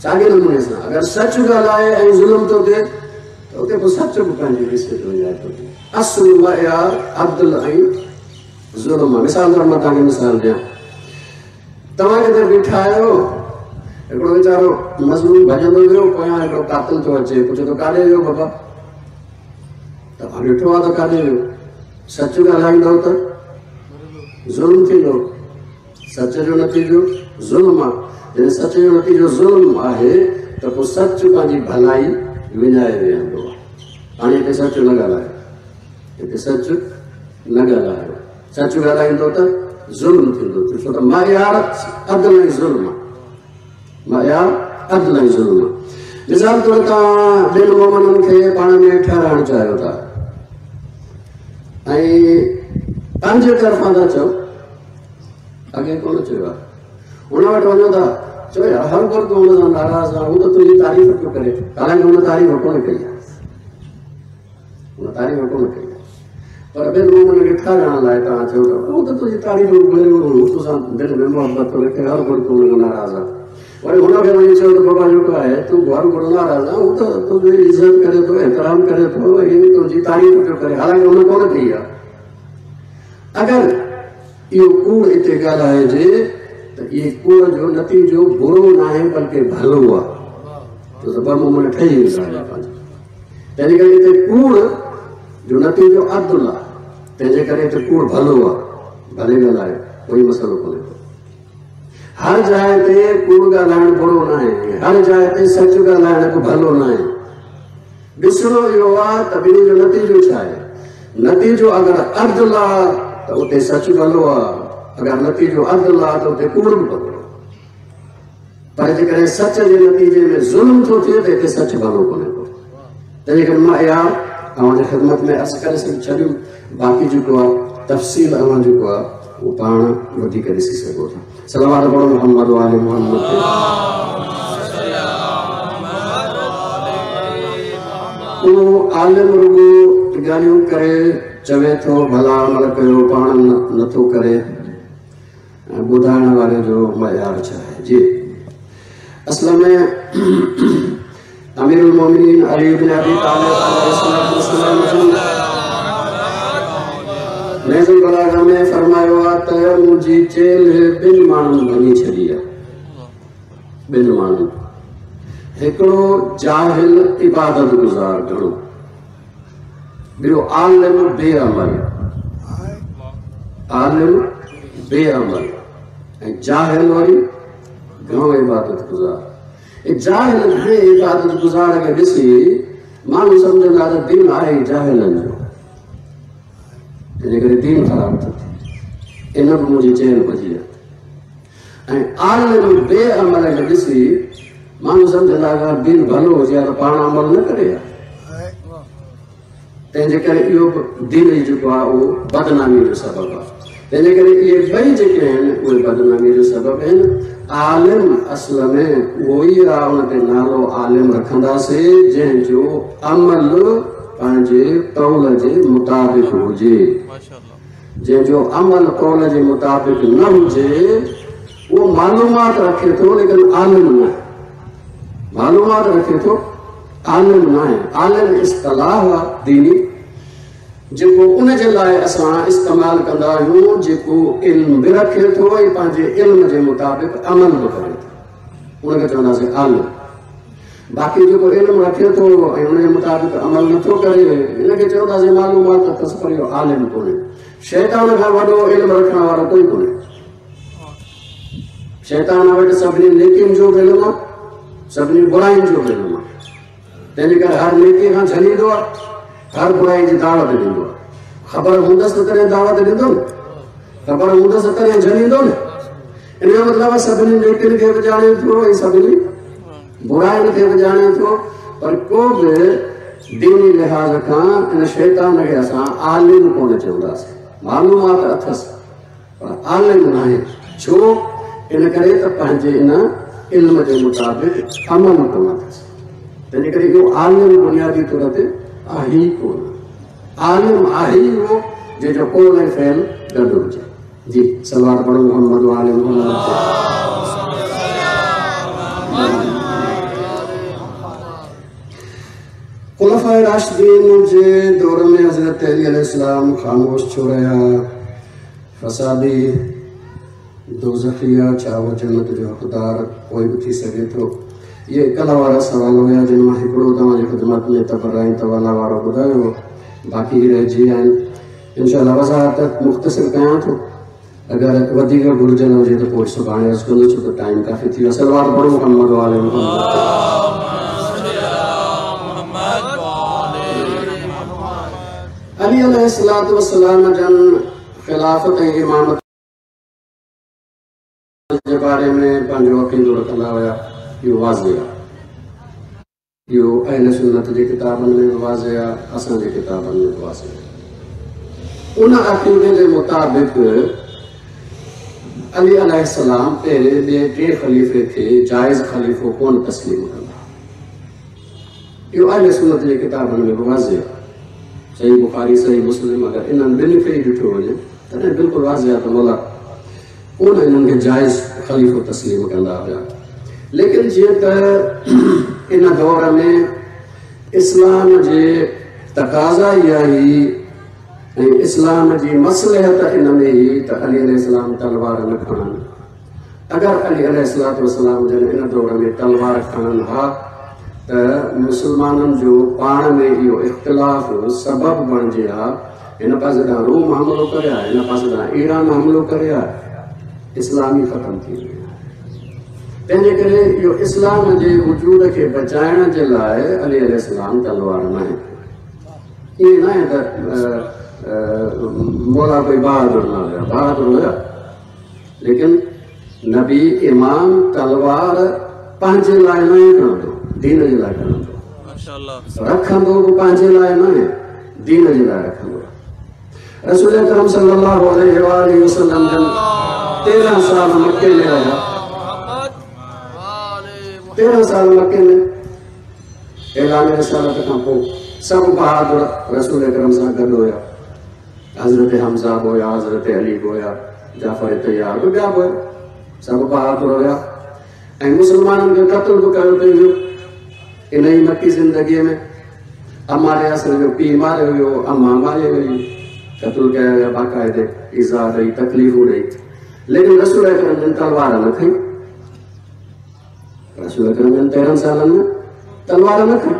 Speaker 1: साॻे नमूने सां अगरि सच ॻाल्हाए ऐं ज़ुल्म थो थिए त उते पोइ सच बि पंहिंजी हैसियत विञाए थो वञे। असुल मयार अदल ऐं ज़ुल्म आहे। मिसाल तौर मां तव्हांखे मिसाल ॾियां, तव्हां किथे बीठा आहियो, हिकिड़ो वीचारो मज़लूम भॼंदो वियो, पोयां हिकिड़ो कातिल थो अचे, पुछे थो काॾे वियो बाबा? तव्हां ॾिठो आहे त काॾे वियो? सच ॻाल्हाईंदव त ज़ुल्म थींदो, सच जो नतीजो ज़ुल्म आहे। जॾहिं सच जो नतीजो ज़ुल्म आहे त पोइ सच पंहिंजी भलाई विञाए वेहंदो आहे। हाणे हिते सच न ॻाल्हायो, हिते सच न ॻाल्हायो, सच ॻाल्हाईंदो त ज़ुल्म थींदो। छो त मयार अदल ऐं ज़ुल्म आहे, मयार अदल ऐं ज़ुल्म आहे। मिसाल तौर तव्हां ॿिनि मोमननि खे पाण में ठहिराइणु चाहियो था ऐं पंहिंजे तरफ़ां था चओ, अॻे कोन चयो आहे, हुन वटि वञो था, चओ यार हर कोई तूं हुन सां नाराज़ आहे, हू त तुंहिंजी तारीफ़ पियो करे, हालांकि हुन तारीफ़ कोन कई आहे, हुन तारीफ़ कोन कई आहे, पर ॿिनि मोमननि खे ठहिराइण लाइ तव्हां चयो था हू त तुंहिंजी तारीफ़ करे, हू तोसां दिलि में मुहबत थो रखे, हर कोई तूं हुन खां नाराज़ आहे। वरी हुनखे वञी चयो त बाबा जेको आहे तूं घर घुरो नाराज़ आहे, हू त तुंहिंजी इज़त करे थो, एहतिराम करे थो, ऐं तुंहिंजी तारीफ़ पियो करे, हालांकि हुन कोन कई आहे। अगरि इहो कूड़ हिते ॻाल्हाइजे त इहे कूड़ जो नतीजो बुरो न आहे बल्कि भलो आहे, त ॿ मोमन ठही वेंदा आहिनि पंहिंजो। तंहिंजे करे हिते कूड़ जो नतीजो अदुल आहे, तंहिंजे करे हिते कूड़ भलो आहे, भले ॻाल्हायो, कोई मसइलो कोन्हे को। हर जाइ ते कूड़ ॻाल्हाइणु बुरो न आहे, हर जाइ ते सच ॻाल्हाइणु बि भलो न आहे। ॾिसणो इहो आहे त ॿिन्ही जो नतीजो छा आहे। नतीजो अगरि अदुल आहे त उते सच भलो आहे, अगरि नतीजो अदुल आहे त उते कूड़ बि भलो आहे। पर जेकॾहिं सच जे नतीजे में ज़ुल्म थो थिए त हिते सच भलो कोन्हे को। तंहिंजे करे मां इहा तव्हांजी ख़िदमत में अर्ज़ु करे छॾियमि, बाक़ी जेको आहे तफ़सील अवां जेको आहे उहो पाण वधीक ॾिसी सघो था। सलावत पढ़ो मोहम्मद वाले मोहम्मद ते। उहो आलिम रुगो ॻाल्हियूं करे चवे थो भला अमल कयो, पाण नथो करे, ऐं ॿुधाइण वारे जो मयार छा आहे? जी असल में अमीरुल मोमिनीन अली इब्न अबी तालिब अलैहिस्सलाम नहजुल बलागा में फरमायो आहे त मुंहिंजी चेल्ह ॿिनि माण्हुनि भञी छॾी आहे, ॿिनि माण्हुनि, हिकिड़ो जाहिल इबादत गुज़ार घणो, ॿियो आलिम बेअमल, आलिम बेअमल ऐं जाहिल वरी घणो इबादत गुज़ार। जाहिल घणे इबादत गुज़ार खे ॾिसी माण्हू सम्झंदा त दीन आहे जाहिलनि जो, तंहिंजे करे दीन ख़राबु थो थिए। इन बि मुंहिंजी चेल भॼी आहे। ऐं आलिम बेअमल खे ॾिसी माण्हू सम्झंदा अगरि दीन भलो हुजे हा त पाण अमल न करे हा। तंहिंजे करे इहो दीन जेको आहे उहो बदनामी जो सबबु आहे। तंहिंजे करे इहे ॿई जेके आहिनि उहे बदनामी जो सबबु आहिनि। आलिम असल में उहो ई आहे, उन ते नालो आलिम रखंदासीं जंहिंजो अमल पंहिंजे कौल जे मुताबिक़ हुजे। जंहिंजो अमल कौल जे मुताबिक़ न हुजे उहो मालूमात रखे थो लेकिन आलिम न आहे। मालूमात रखे थो आलिम न आहे। आलिम इस्तिलाह आहे दीनी जेको उन जे लाइ असां इस्तेमालु कंदा आहियूं जेको इल्मु बि रखे थो ऐं पंहिंजे इल्म जे मुताबिक़ अमल बि करे थो, उनखे चवंदासीं आलिम। बाक़ी जेको इल्मु रखे थो ऐं उनजे मुताबिक़ अमल नथो करे हिनखे चवंदासीं मालूमात अथसि पर इहो आलिम कोन्हे। शैतान खां वॾो इल्मु रखण वारो कोई कोन्हे। शैतान वटि सभिनी नेकियुनि जो बि इल्मु आहे, सभिनी बुराइनि जो बि इल्मु आहे। तंहिंजे करे हर नेकीअ खां झलींदो आहे, हर बुराई जी दावत ॾींदो आहे। ख़बर हूंदसि त तॾहिं दावत ॾींदो न, ख़बर हूंदसि त तॾहिं झलींदो न। इन जो मतिलबु आहे सभिनी नेकियुनि खे बि ॼाणे थो ऐं सभिनी बुराइनि खे बि ॼाणे थो, पर को बि दीनी लिहाज़ खां इन शैतान खे असां आलिम कोन चवंदासीं। मालूमात अथसि पर आलिम न आहे। छो? इन करे त पंहिंजे इन इल्म जे मुताबिक़ अमल कोन अथसि। तंहिंजे करे इहो आलिम बुनियादी तौर ते आहे ई कोन। आलिम आहे ई उहो जंहिंजो कौल ऐं फ़ैल गॾु हुजे। जी सलवार पढ़ो मोहम्मद आले मोहम्मद। खुलफ़ाए राशिदीन जे दौर में हज़रत अली अलैहिस्सलाम ख़ामोश छो रहिया? फसादी दोज़खिया छा उहो जन्नत जो हक़दार कोई बि थी सघे थो? इहे कल्ह वारा सवाल हुया जिन मां हिकिड़ो तव्हांजी ख़िदमत में तबरा ऐं तवाला वारो ॿुधायो, बाक़ी रहिजी विया आहिनि। इनशा वज़ाहत मुख़्तसिर कयां थो, अगरि वधीक घुर्जल हुजे त पोइ सुभाणे अर्ज़ु कंदुसि, छो त टाइम काफ़ी थी वियो। सलवार पढ़ो मोहम्मद वाले मोहम्मद। अली अलैहिस्सलातु वस्सलाम जन ख़िलाफ़त ऐं इमामत जे बारे में पंहिंजो अक़ीदो रखंदा हुया, इहो वाज़े आहे। इहो अहल सुन्नत जे किताबनि में बि वाज़े आहे, असांजे किताबनि में बि वाज़े आहे। उन अक़ीदे जे मुताबिक़ अली अलैहिस्सलाम पहिरें ॿिए टे ख़लीफ़े खे जाइज़ ख़लीफ़ो कोन तस्लीम कंदा। इहो अहल सुन्नत जे किताबनि में बि वाज़े आहे। सही बुखारी सही मुस्लिम अगरि इन्हनि ॿिन्ही खे ई ॾिठो वञे तॾहिं बिल्कुलु वाज़े आहे त मौला कोन इन्हनि खे जाइज़ ख़लीफ़ो तस्लीम कंदा हुया। लेकिन जीअं त इन दौर में इस्लाम जे तक़ाज़ा इहा हुई ऐं इस्लाम जी मसलहत इन में हुई त अली अलैहिस्सलाम तलवार न खणनि। अगरि अली अलैहिस्सलातु वस्सलाम जन इन दौर में तलवार खणनि हा त मुस्लमाननि जो पाण में इहो इख़्तिलाफ़ सबबु बणिजे हा। हिन पासे ॾांहुं रोम हमिलो करे हा, हिन पासे ॾांहुं ईरान हमिलो करे हा, इस्लाम ई ख़तमु थी वियो। तंहिंजे करे इहो इस्लाम जे वजूद खे बचाइण जे लाइ अली अलैहिस्सलाम तलवार न आहे। ईअं न आहे त मौला कोई बहादुर न हुया, बहादुर हुया, लेकिन नबी इमाम तलवार पंहिंजे लाइ न खणंदो, दीन जे लाइ खणंदो। रखंदो बि पंहिंजे लाइ न आहे, दीन जे लाइ रखंदो। रसूल अकरम सल्लल्लाहु अलैहि वसल्लम जन तेरहं साल मक्के में रहिया, तेरहं साल मक्के में ऐलान रिसालत खां पोइ सभु बहादुर रसूल अकरम सां गॾु हुया। हज़रत हमज़ा बि हुया, हज़रत अली बि हुया, जाफ़र तैयार बि, ॿिया बि हुया, सभु बहादुर हुया ऐं मुस्लमाननि खे क़तलु बि कयो पई वियो इन ई मक्की ज़िंदगीअ में। अम्मार यासिर जो पीउ मारियो वियो, अम्मा मारी वई, क़तलु कया विया बाक़ाइदे, ईज़ा ॾेई, तकलीफ़ूं ॾेई, लेकिन रसूल अकरम जन तलवार न खई। रसूल अकरम जन तेरहं सालनि में तलवार न खई।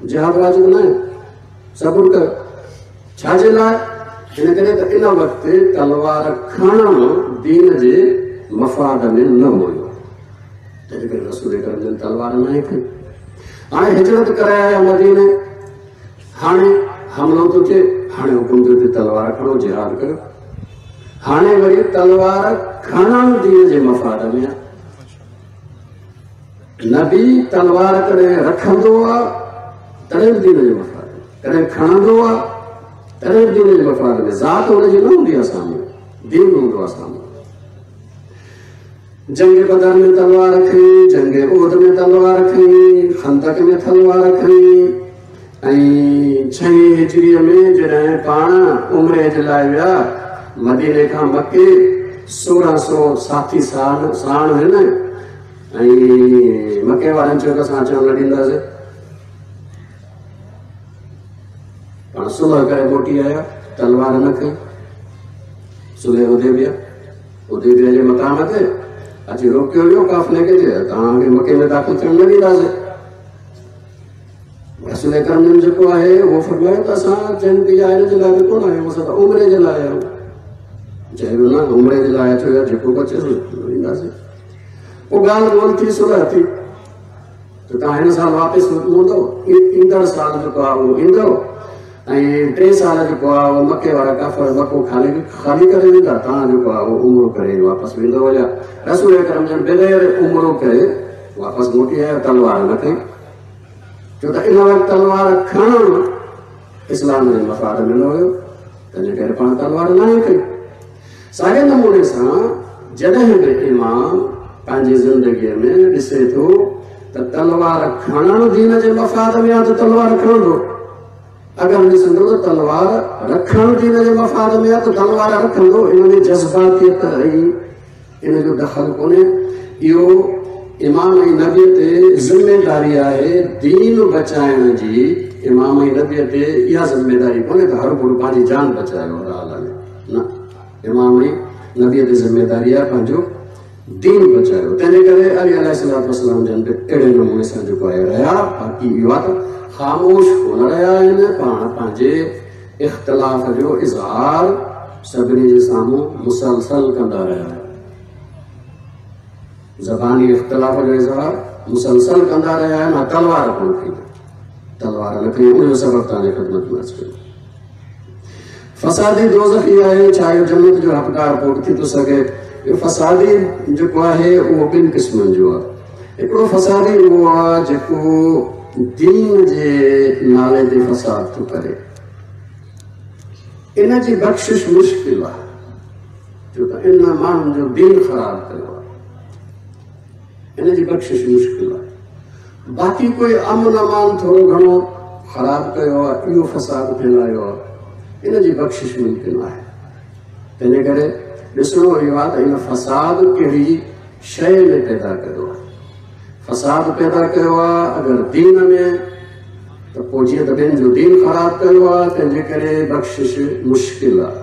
Speaker 1: जिहाद वाजिब न आहे, सबुरु कयो। छाजे लाइ? हिन करे त इन वक़्तु तलवार खणणु दीन जे मफ़ाद में न हुयो, तंहिंजे करे रसूल अकरम जन तलवार न खई। हाणे हिजरत करे आया मदीने, हाणे हमिलो थो थिए, हाणे हुकुम थियो थिए तलवार खणो, जिहाद कयो। हाणे वरी तलवार खणणु दीन जे मफ़ाद में आहे। नबी तलवार कॾहिं रखंदो आहे तॾहिं बि दीन जे मफ़ाद में, कॾहिं खणंदो आहे तॾहिं बि दीन जे मफ़ाद में। ज़ात हुनजी न हूंदी आहे साम्हूं, दीन हूंदो आहे साम्हूं। जंग बदर में तलवार खणी, जंग उहद में तलवार खणी, खंदक में तलवार खणी ऐं छहीं हिजरीअ में जॾहिं पाण उमरे जे लाइ विया मदीने खां मके, सोरहं सौ साथी साण साण आहिनि ऐं मके वारनि चयो त असां अचण न ॾींदासीं। पाण सुलह करे मोटी आया, तलवार न खई। सुलह हुदैबिया, हुदैबिया जे मक़ाम ते अची रोकियो वियो काफ़िले खे, तव्हांखे मके में दाख़िल थियण न ॾींदासीं। रसूल करम जन जेको आहे उहो फरमायो त असां जंग या हिन जे लाइ कोन आया आहियूं, असां त उमरे जे लाइ आया आहियूं। चयो न उमरे जे लाइ अचो या जेको बि अचे ॾींदासीं। पोइ ॻाल्हि ॿोल थी, सुलह थी त तव्हां हिन साल वापसि मोटंदव, ईंदड़ साल जेको आहे उहो ईंदव ऐं टे साल जेको आहे उहो मके वारा काफ़र मको खाली ख़ाली करे वेंदा, तव्हां जेको आहे उहो उमरो करे वापसि वेंदव। या रसूल करम जन बग़ैर उमरो करे वापसि मोटी आयो, तलवार न खई, छो त इन वक़्तु तलवार खणणु इस्लाम जे मफ़ाद में न हुयो, तंहिंजे करे पाण तलवार न खई। साॻे नमूने सां जॾहिं बि इमाम पंहिंजी ज़िंदगीअ में ॾिसे थो त तलवार खणणु दीन जे मफ़ाद में आहे त तलवार खणंदो, अगरि ॾिसंदो त तलवार रखणु दीन जे मफ़ाद में आहे त तलवार रखंदो। इन में जज़्बातियत ऐं इन जो दख़ल कोन्हे। इहो इमाम ऐं नबीअ ते ज़िम्मेदारी आहे दीन बचाइण जी। इमाम ऐं नबीअ ते इहा ज़िम्मेदारी कोन्हे त हर गुरु पंहिंजी जान बचायो हर हाल में, न, इमाम ऐं नबीअ ते ज़िम्मेदारी आहे पंहिंजो दीन बचायो। तंहिंजे करे अली अलैहिस्सलातु वस्सलाम जन बि अहिड़े नमूने सां जेको आहे रहिया। बाक़ी इहो आहे त ख़ामोश कोन रहिया आहिनि, पाण पंहिंजे इख़्तिलाफ़ जो इज़हार सभिनी जे साम्हूं मुसलसल कंदा रहिया आहिनि। ज़बानी इख़्तिलाफ़ जो इज़हार मुसलसल कंदा रहिया आहिनि, तलवार कोन खई, तलवार न खई। उनजो सबबु तव्हांजी ख़िदमत में अर्ज़ु कयो। फसादी दोज़ख़ी आहे, छा इहो जन्नत जो हक़दार कोन थी थो सघे? इहो फसादी जेको आहे उहो ॿिनि क़िस्मनि जो आहे। हिकिड़ो फसादी उहो आहे जेको दीन जे नाले ते फसाद थो करे, इन जी बख़्शिश मुश्किल आहे, छो त इन माण्हुनि जो दीन ख़राबु कयो आहे, इन जी बख़्शिश मुश्किल आहे। बाक़ी कोई अमन अमान थोरो घणो ख़राबु कयो आहे, इहो फसाद फैलायो आहे, इन जी बख़्शिश मुमकिन आहे। तंहिंजे करे ॾिसणो इहो आहे त इन फसाद कहिड़ी शइ में पैदा कयो आहे। फसाद पैदा कयो आहे अगरि दीन में त पोइ जीअं त ॿियनि जो दीन ख़राबु कयो आहे, तंहिंजे करे बख़्शिश मुश्किल आहे।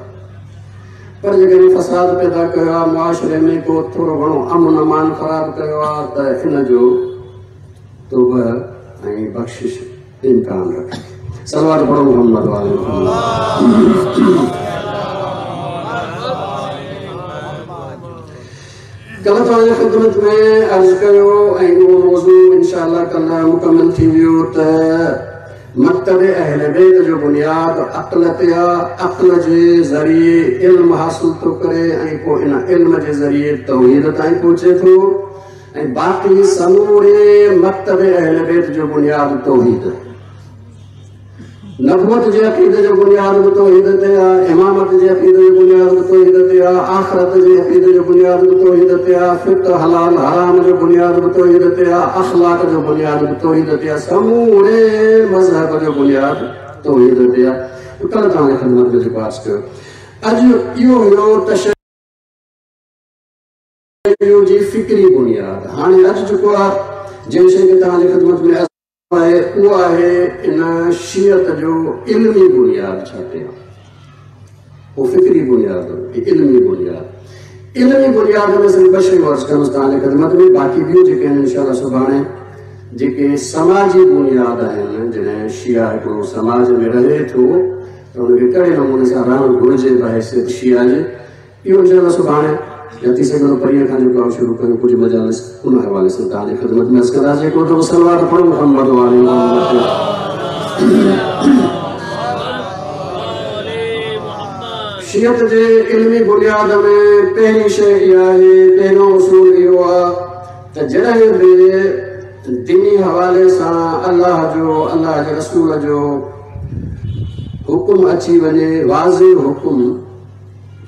Speaker 1: पर जेकॾहिं फसाद पैदा कयो आहे मुआशरे में, को थोरो घणो अमन अमान ख़राबु कयो आहे, त इन जो तौबा ऐं बख़्शिश इम्कान रखे। सलवात पढ़ो मोहम्मद वाले। कल्ह तव्हांजी ख़िदमत में अर्ज़ु कयो ऐं उहो मौज़ू इनशा कल्ह मुकमल थी वियो त मकतब अहल बैत जो बुनियाद अक़ल ते आहे। अक़ल जे ज़रिए इल्म हासिल थो करे ऐं पोइ इन इल्म जे ज़रिए तौहीद ताईं पहुचे थो ऐं बाक़ी समूरे मकतब अहल बैत जो बुनियाद तौहीद आहे। नबूवत जे अक़ीदे जो बुनियाद बि तौहीद ते आहे, इमामत जे अक़ीदे जो बुनियाद बि तौहीद ते आहे, आख़िरत जे अक़ीदे जो बुनियाद बि तौहीद ते आहे, फ़िक़्ह हलाल हराम जो बुनियाद बि तौहीद ते आहे, अख़लाक़ जो बुनियाद बि तौहीद ते आहे, समूरे मज़हब जो बुनियाद तौहीद ते आहे। कल्ह तव्हांजी ख़िदमत में जेको अर्ज़ु कयो, अॼु इहो हुयो तशय्युअ जी फ़िक्री बुनियाद। हाणे अॼु जेको आहे जंहिं शइ खे तव्हांजी ख़िदमत में आहे उहो आहे इन शियत जो इल्मी बुनियाद। छा ते उहो फ़िक्री बुनियाद, इल्मी बुनियाद। इल्मी बुनियाद में सिर्फ़ु ॿ शयूं अर्ज़ु कंदुसि तव्हांजी ख़िदमत में, बाक़ी ॿियूं जेके आहिनि इनशा सुभाणे जेके समाजी बुनियाद आहिनि। जॾहिं शिया हिकिड़ो समाज में रहे थो त हुनखे कहिड़े नमूने सां रहणु घुरिजे बहैसियत शिया जे, इहो इनशा सुभाणे या थी सघे थो परींअ खां जेको आहे शुरू कयूं कुझु मजालिस उन हवाले सां तव्हांजी ख़िदमत में अर्ज़ु कंदासीं। हिकिड़ो दफ़ो सलवात पढ़ो मोहम्मद वाले। शियत जे इल्मी बुनियाद में पहिरीं शइ इहा आहे, पहिरियों उसूल इहो आहे त जॾहिं बि दीनी हवाले सां अल्लाह जो अल्लाह जे रसूल जो हुकुम अची वञे, वाज़े हुकुम,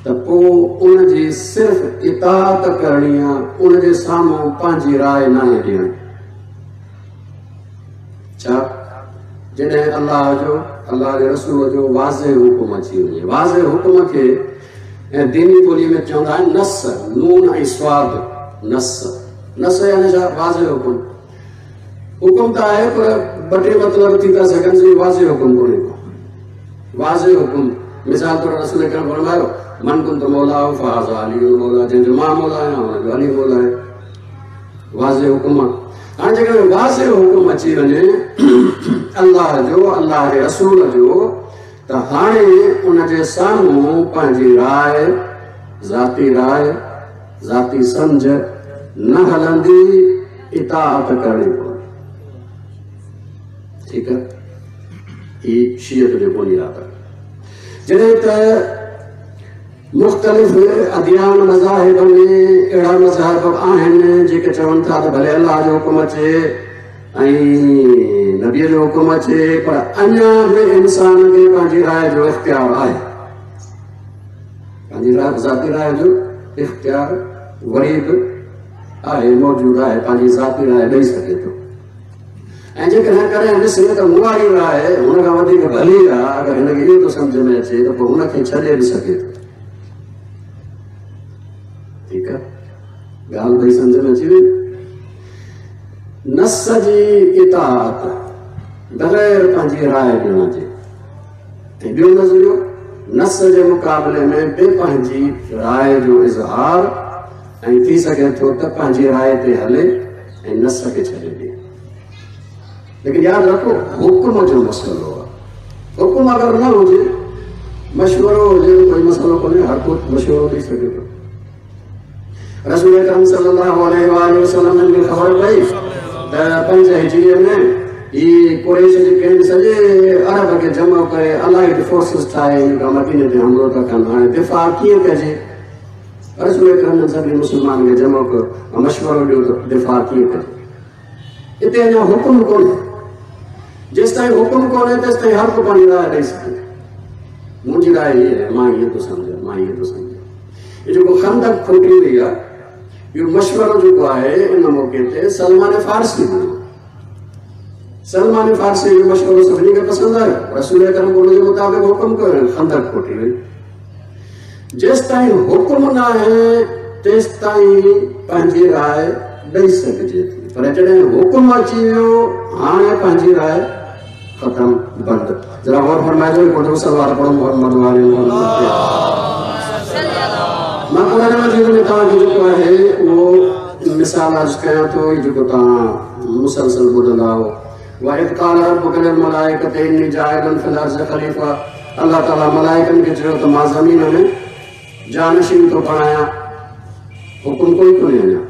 Speaker 1: त पोइ उनजी सिर्फ़ इताअत करणी आहे, उनजे साम्हूं पंहिंजी राय नाहे ॾियणी। छा जॾहिं अल्लाह जो अल्लाह जे रसूल जो वाज़े हुकुम अची वञे, वाज़े हुकुम खे ऐं दीनी ॿोलीअ में चवंदा आहिनि नस, नून ऐं स्वाद, नस नस यानी छा? वाज़े हुकुम। हुकुम त आहे पर ॿ टे मतिलब थी था सघनि, वाज़े हुकुम कोन्हे को। वाज़े हुकुम मिसाल तौरु रसूल करम फरमायो, मन कुंत मौला फहाज़ा अली मौला, जंहिंजो मां मौला आहियां हुनजो अली मौला आहे। वाज़े हुकुम आहे। हाणे जेकॾहिं वाज़े हुकुम अची वञे अल्लाह जो अल्लाह जे रसूल जो, त हाणे उनजे साम्हूं पंहिंजी राय, ज़ाती राय, ज़ाती सम्झ न हलंदी, इताअत करणी पवंदी। ठीकु आहे, हीअ शीअत जो बुनियाद आहे। जॾहिं त मुख़्तलिफ़ अदियान मज़ाहिब में अहिड़ा मज़हब आहिनि जेके चवनि था त भले अल्लाह जो हुकुम अचे ऐं नबीअ जो हुकुम अचे, पर अञा बि इंसान खे पंहिंजी राय जो इख़्तियार आहे, पंहिंजी राय, ज़ाती राय जो इख़्तियार वरी बि आहे, मौजूदु आहे, पंहिंजी ज़ाती राय ॾेई सघे थो। ऐं जेकॾहिं कॾहिं ॾिसे त मूं वारी राय हुन खां वधीक भली आहे, अगरि हिनखे इहो थो सम्झ में अचे त पोइ हुनखे छॾे बि सघे थो। ठीकु आहे, ॻाल्हि भई सम्झ में अची वई। नस जी इताअत बग़ैर पंहिंजी राय ॾियण जे, ऐं ॿियो नज़रियो नस जे मुक़ाबले में बि पंहिंजी राय जो इज़हार, ऐं थी सघे थो त पंहिंजी राय ते हले ऐं नस खे छॾे ॾिए। लेकिन यादि रखो, हुकुम जो मसइलो आहे। हुकुम अगरि न हुजे, मशवरो हुजे, कोई मसइलो कोन्हे, हर को मशवरो ॾेई सघे थो। रसूल अकरम सल्लल्लाहु अलैहि वसल्लम खे ख़बर पई त पंज हिजरीअ में ही कुरैश जेके आहिनि सॼे अरब खे जमा करे अलाइड फोर्सिस ठाहे मदीने ते हमलो था कनि, हाणे दिफ़ा कीअं कजे? रसूल अकरम सभिनी मुस्लमान खे जमा कयो, मशवरो ॾियो त दिफ़ा कीअं कजे। हिते अञा हुकुम कोन्हे, जेसि ताईं हुकुम कोन्हे तेसि ताईं हर को पंहिंजी राय ॾेई सघे। मुंहिंजी राय हीअ आहे, मां ईअं थो सम्झां, मां ईअं थो सम्झां। इहो जेको खंदक खोटी वई आहे, इहो मशवरो जेको आहे इन मौक़े ते सलमान फ़ारसी ॾिनो। सलमान फ़ारसी जो मशवरो सभिनी खे पसंदि आयो, रसूल अकरम उनजे मुताबिक़ हुकुम कयो, खंदक खोटी वई। जेसि ताईं हुकुम न आहे तेसि ताईं पंहिंजी राय ॾेई सघिजे थी, पर जॾहिं हुकुम अची वियो हाणे पंहिंजी राय ख़तमु, बंदि। ज़रा गौर फरमाइजो, हिकिड़ो सलवार पढ़ो मोहम्मद वाले मोहम्मद। मां क़ुरान मजीद में तव्हांखे जेको आहे उहो मिसाल अर्ज़ु कयां थो, जेको तव्हां मुसलसल ॿुधंदा हो। वइज़ क़ाल रब्बुक लिलमलाइकति इन्नी जाइलुन फ़िल अर्ज़ि ख़लीफ़ा, अल्लाह ताला मलाइकनि खे चयो त मां ज़मीन में जानशीन थो बणायां। हुकुम कोई कोन्हे अञा,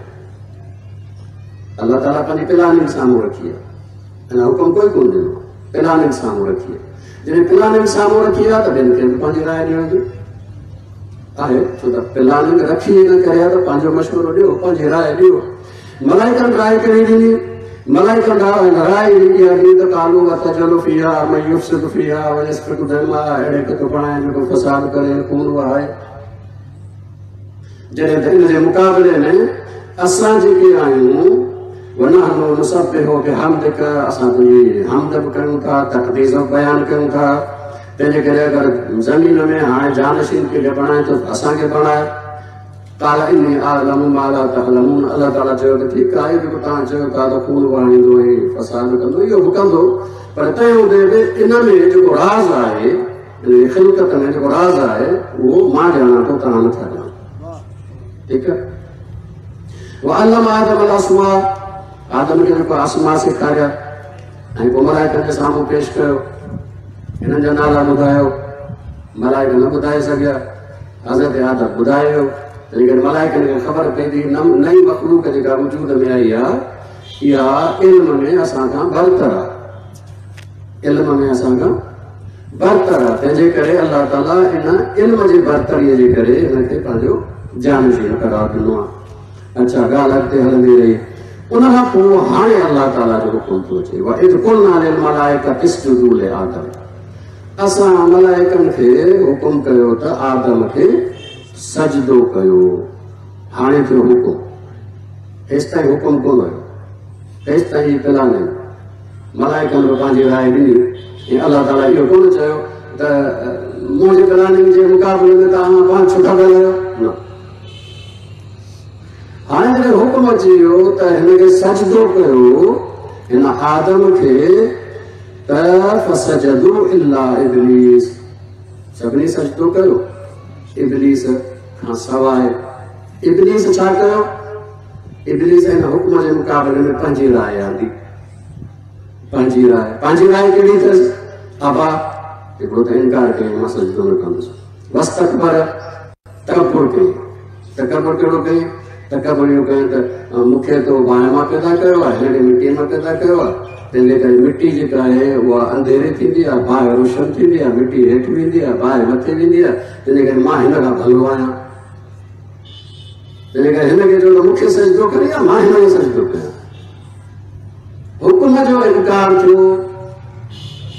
Speaker 1: अल्लाह ताला पंहिंजी प्लानिंग साम्हूं रखी आहे, अञा हुकुम कोई कोन ॾिनो, प्लानिंग साम्हूं रखी आहे। जॾहिं प्लानिंग साम्हूं रखी आहे त ॿियनि खे बि पंहिंजी राय ॾियण जो आहे, छो त प्लानिंग रखी इन करे त पंहिंजो मशवरो ॾियो, पंहिंजी राय ॾियो। मलाइकनि राय कहिड़ी ॾिनी? मलाइकनि राय इहा ॾिनी त कालू अतजलु फीहा मन युफसिदु फीहा व यस्फिकु दमा, अहिड़े खे थो बणाए जेको फसाद करे, खून वहाए। जॾहिं त इन जे मुक़ाबले में असां जेके आहियूं, वनहनु नुसब्बिहु बिहम्दिक, असां तुंहिंजी हम्द बि कयूं था, तक़दीस बि बयानु कयूं था। तंहिंजे करे अगरि ज़मीन में हाणे जानशीन खे बणाए थो असांखे बणाए। क़ाल इन्नी आलमु मा ला तअलमून, अल्लाह ताला चयो त ठीकु आहे, जेको तव्हां चयो था त खून वहाईंदो ऐं फसाद कंदो, इहो बि कंदो, पर तंहिं हूंदे बि इन में जेको राज़ आहे, इन ख़िलकत में जेको राज़ आहे उहो मां ॼाणां थो, तव्हां नथा ॼाणो। ठीकु आहे। वअल्लम आदम अल-अस्मा, आदम खे जेको आसमा सेखारिया ऐं पोइ मलाइकनि जे साम्हूं पेश कयो, हिननि जा नाला ॿुधायो, मलाइक न ॿुधाए सघिया, हज़रत आदम ॿुधायो। तंहिं करे मलाइकनि खे ख़बर पई थी नई मख़लूक जेका वजूद में आई आहे इहा इल्म में असां खां बरतर आहे, इल्म में असां खां बरतर आहे। तंहिंजे करे अल्लाह ताला इन इल्म जी बरतरीअ जे करे हिनखे पंहिंजो जानशीन करार ॾिनो आहे। अच्छा, ॻाल्हि अॻिते हलंदी रही। उन खां पोइ हाणे अलाह ताला जो हुकुम थो अचे, वइज़ क़ुलना लिलमलाइकति इसजुदू लिआदम, असां मलाइकनि खे हुकुम कयो त आदम खे सजदो कयो। हाणे थियो हुकुम, हेसि ताईं हुकुम कोन हुयो, हेसि ताईं प्लानिंग। मलाइकनि बि पंहिंजी राय ॾिनी ऐं अलाह ताला इहो कोन चयो त मुंहिंजी प्लानिंग जे मुक़ाबले में तव्हां पाण छो था ॻाल्हायो, न। हाणे जॾहिं हुकुम अची वियो त हिनखे सजदो कयो हिन आदम खे, त फसजदू इल्ला इब्लीस, सभिनी सजदो कयो इब्लीस खां सवाइ। इब्लीस छा कयो? इब्लीस हिन हुकुम जे मुक़ाबले में पंहिंजी राय आंदी, पंहिंजी राय। पंहिंजी राय कहिड़ी अथसि? अबा हिकिड़ो त इनकार कयईं, मां सजदो न कंदुसि। वस्तकबर, तकबुर कयईं। तकबुर कहिड़ो कयईं? तकबुर इहो कयईं त मूंखे त बाहि मां पैदा कयो आहे, हिनखे मिटीअ मां पैदा कयो आहे, तंहिंजे करे मिटी जेका आहे उहा अंधेरी थींदी आहे, बाहि रोशन थींदी आहे, मिटी हेठि वेंदी आहे, बाहि मथे वेंदी आहे, तंहिंजे करे मां हिन खां भलो आहियां, तंहिंजे करे हिनखे चयो त मूंखे सजदो करे या मां हिनखे सजदो कयां। हुकुम जो इनकार थियो।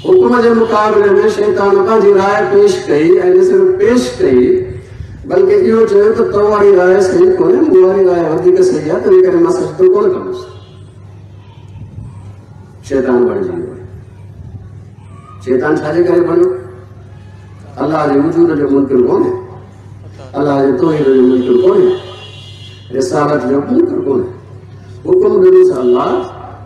Speaker 1: हुकुम जे मुक़ाबले में शैतान पंहिंजी राय पेश कई ऐं न सिर्फ़ पेश कई बल्कि इहो चयो त तो वारी राय सही कोन्हे, मूं वारी राय वधीक सही आहे, तंहिंजे करे मां सजदो कोन कंदुसि। शैतान बणिजी वियो। शैतान छाजे करे बणियो? अलाह जे वजूद जो मुनकिर कोन्हे, अलाह जे तौहीद जो मुनकिर कोन्हे, रिसालत जो मुनकिर कोन्हे। हुकुम ॾिनोसि अलाह,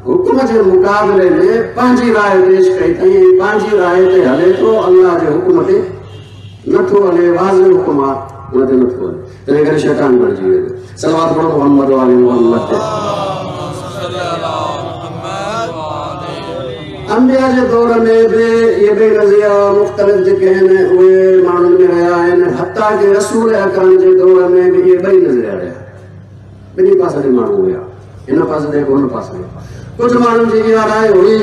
Speaker 1: हुकुम जे मुक़ाबले में पंहिंजी राय पेश कई अथई ऐं पंहिंजी राय ते हले थो, अलाह जे हुकुम ते नथो हले। वाज़े हुकुम आहे, उन ते नथो हले, तंहिं करे शैतान बणिजी वियो। सलावत पढ़ो मोहम्मद वाले मोहम्मद ते। अंबिया जे दौर में बि इहे ॿई नज़रिया मुख़्तलिफ़ जेके आहिनि उहे माण्हुनि में रहिया आहिनि, हता के रसूल अकरम जे दौर में बि इहे ॿई नज़रिया रहिया। ॿिन्ही पासे ते माण्हू हुया, हिन पासे ते हुन पासे। कुझु माण्हुनि जी इहा राय हुई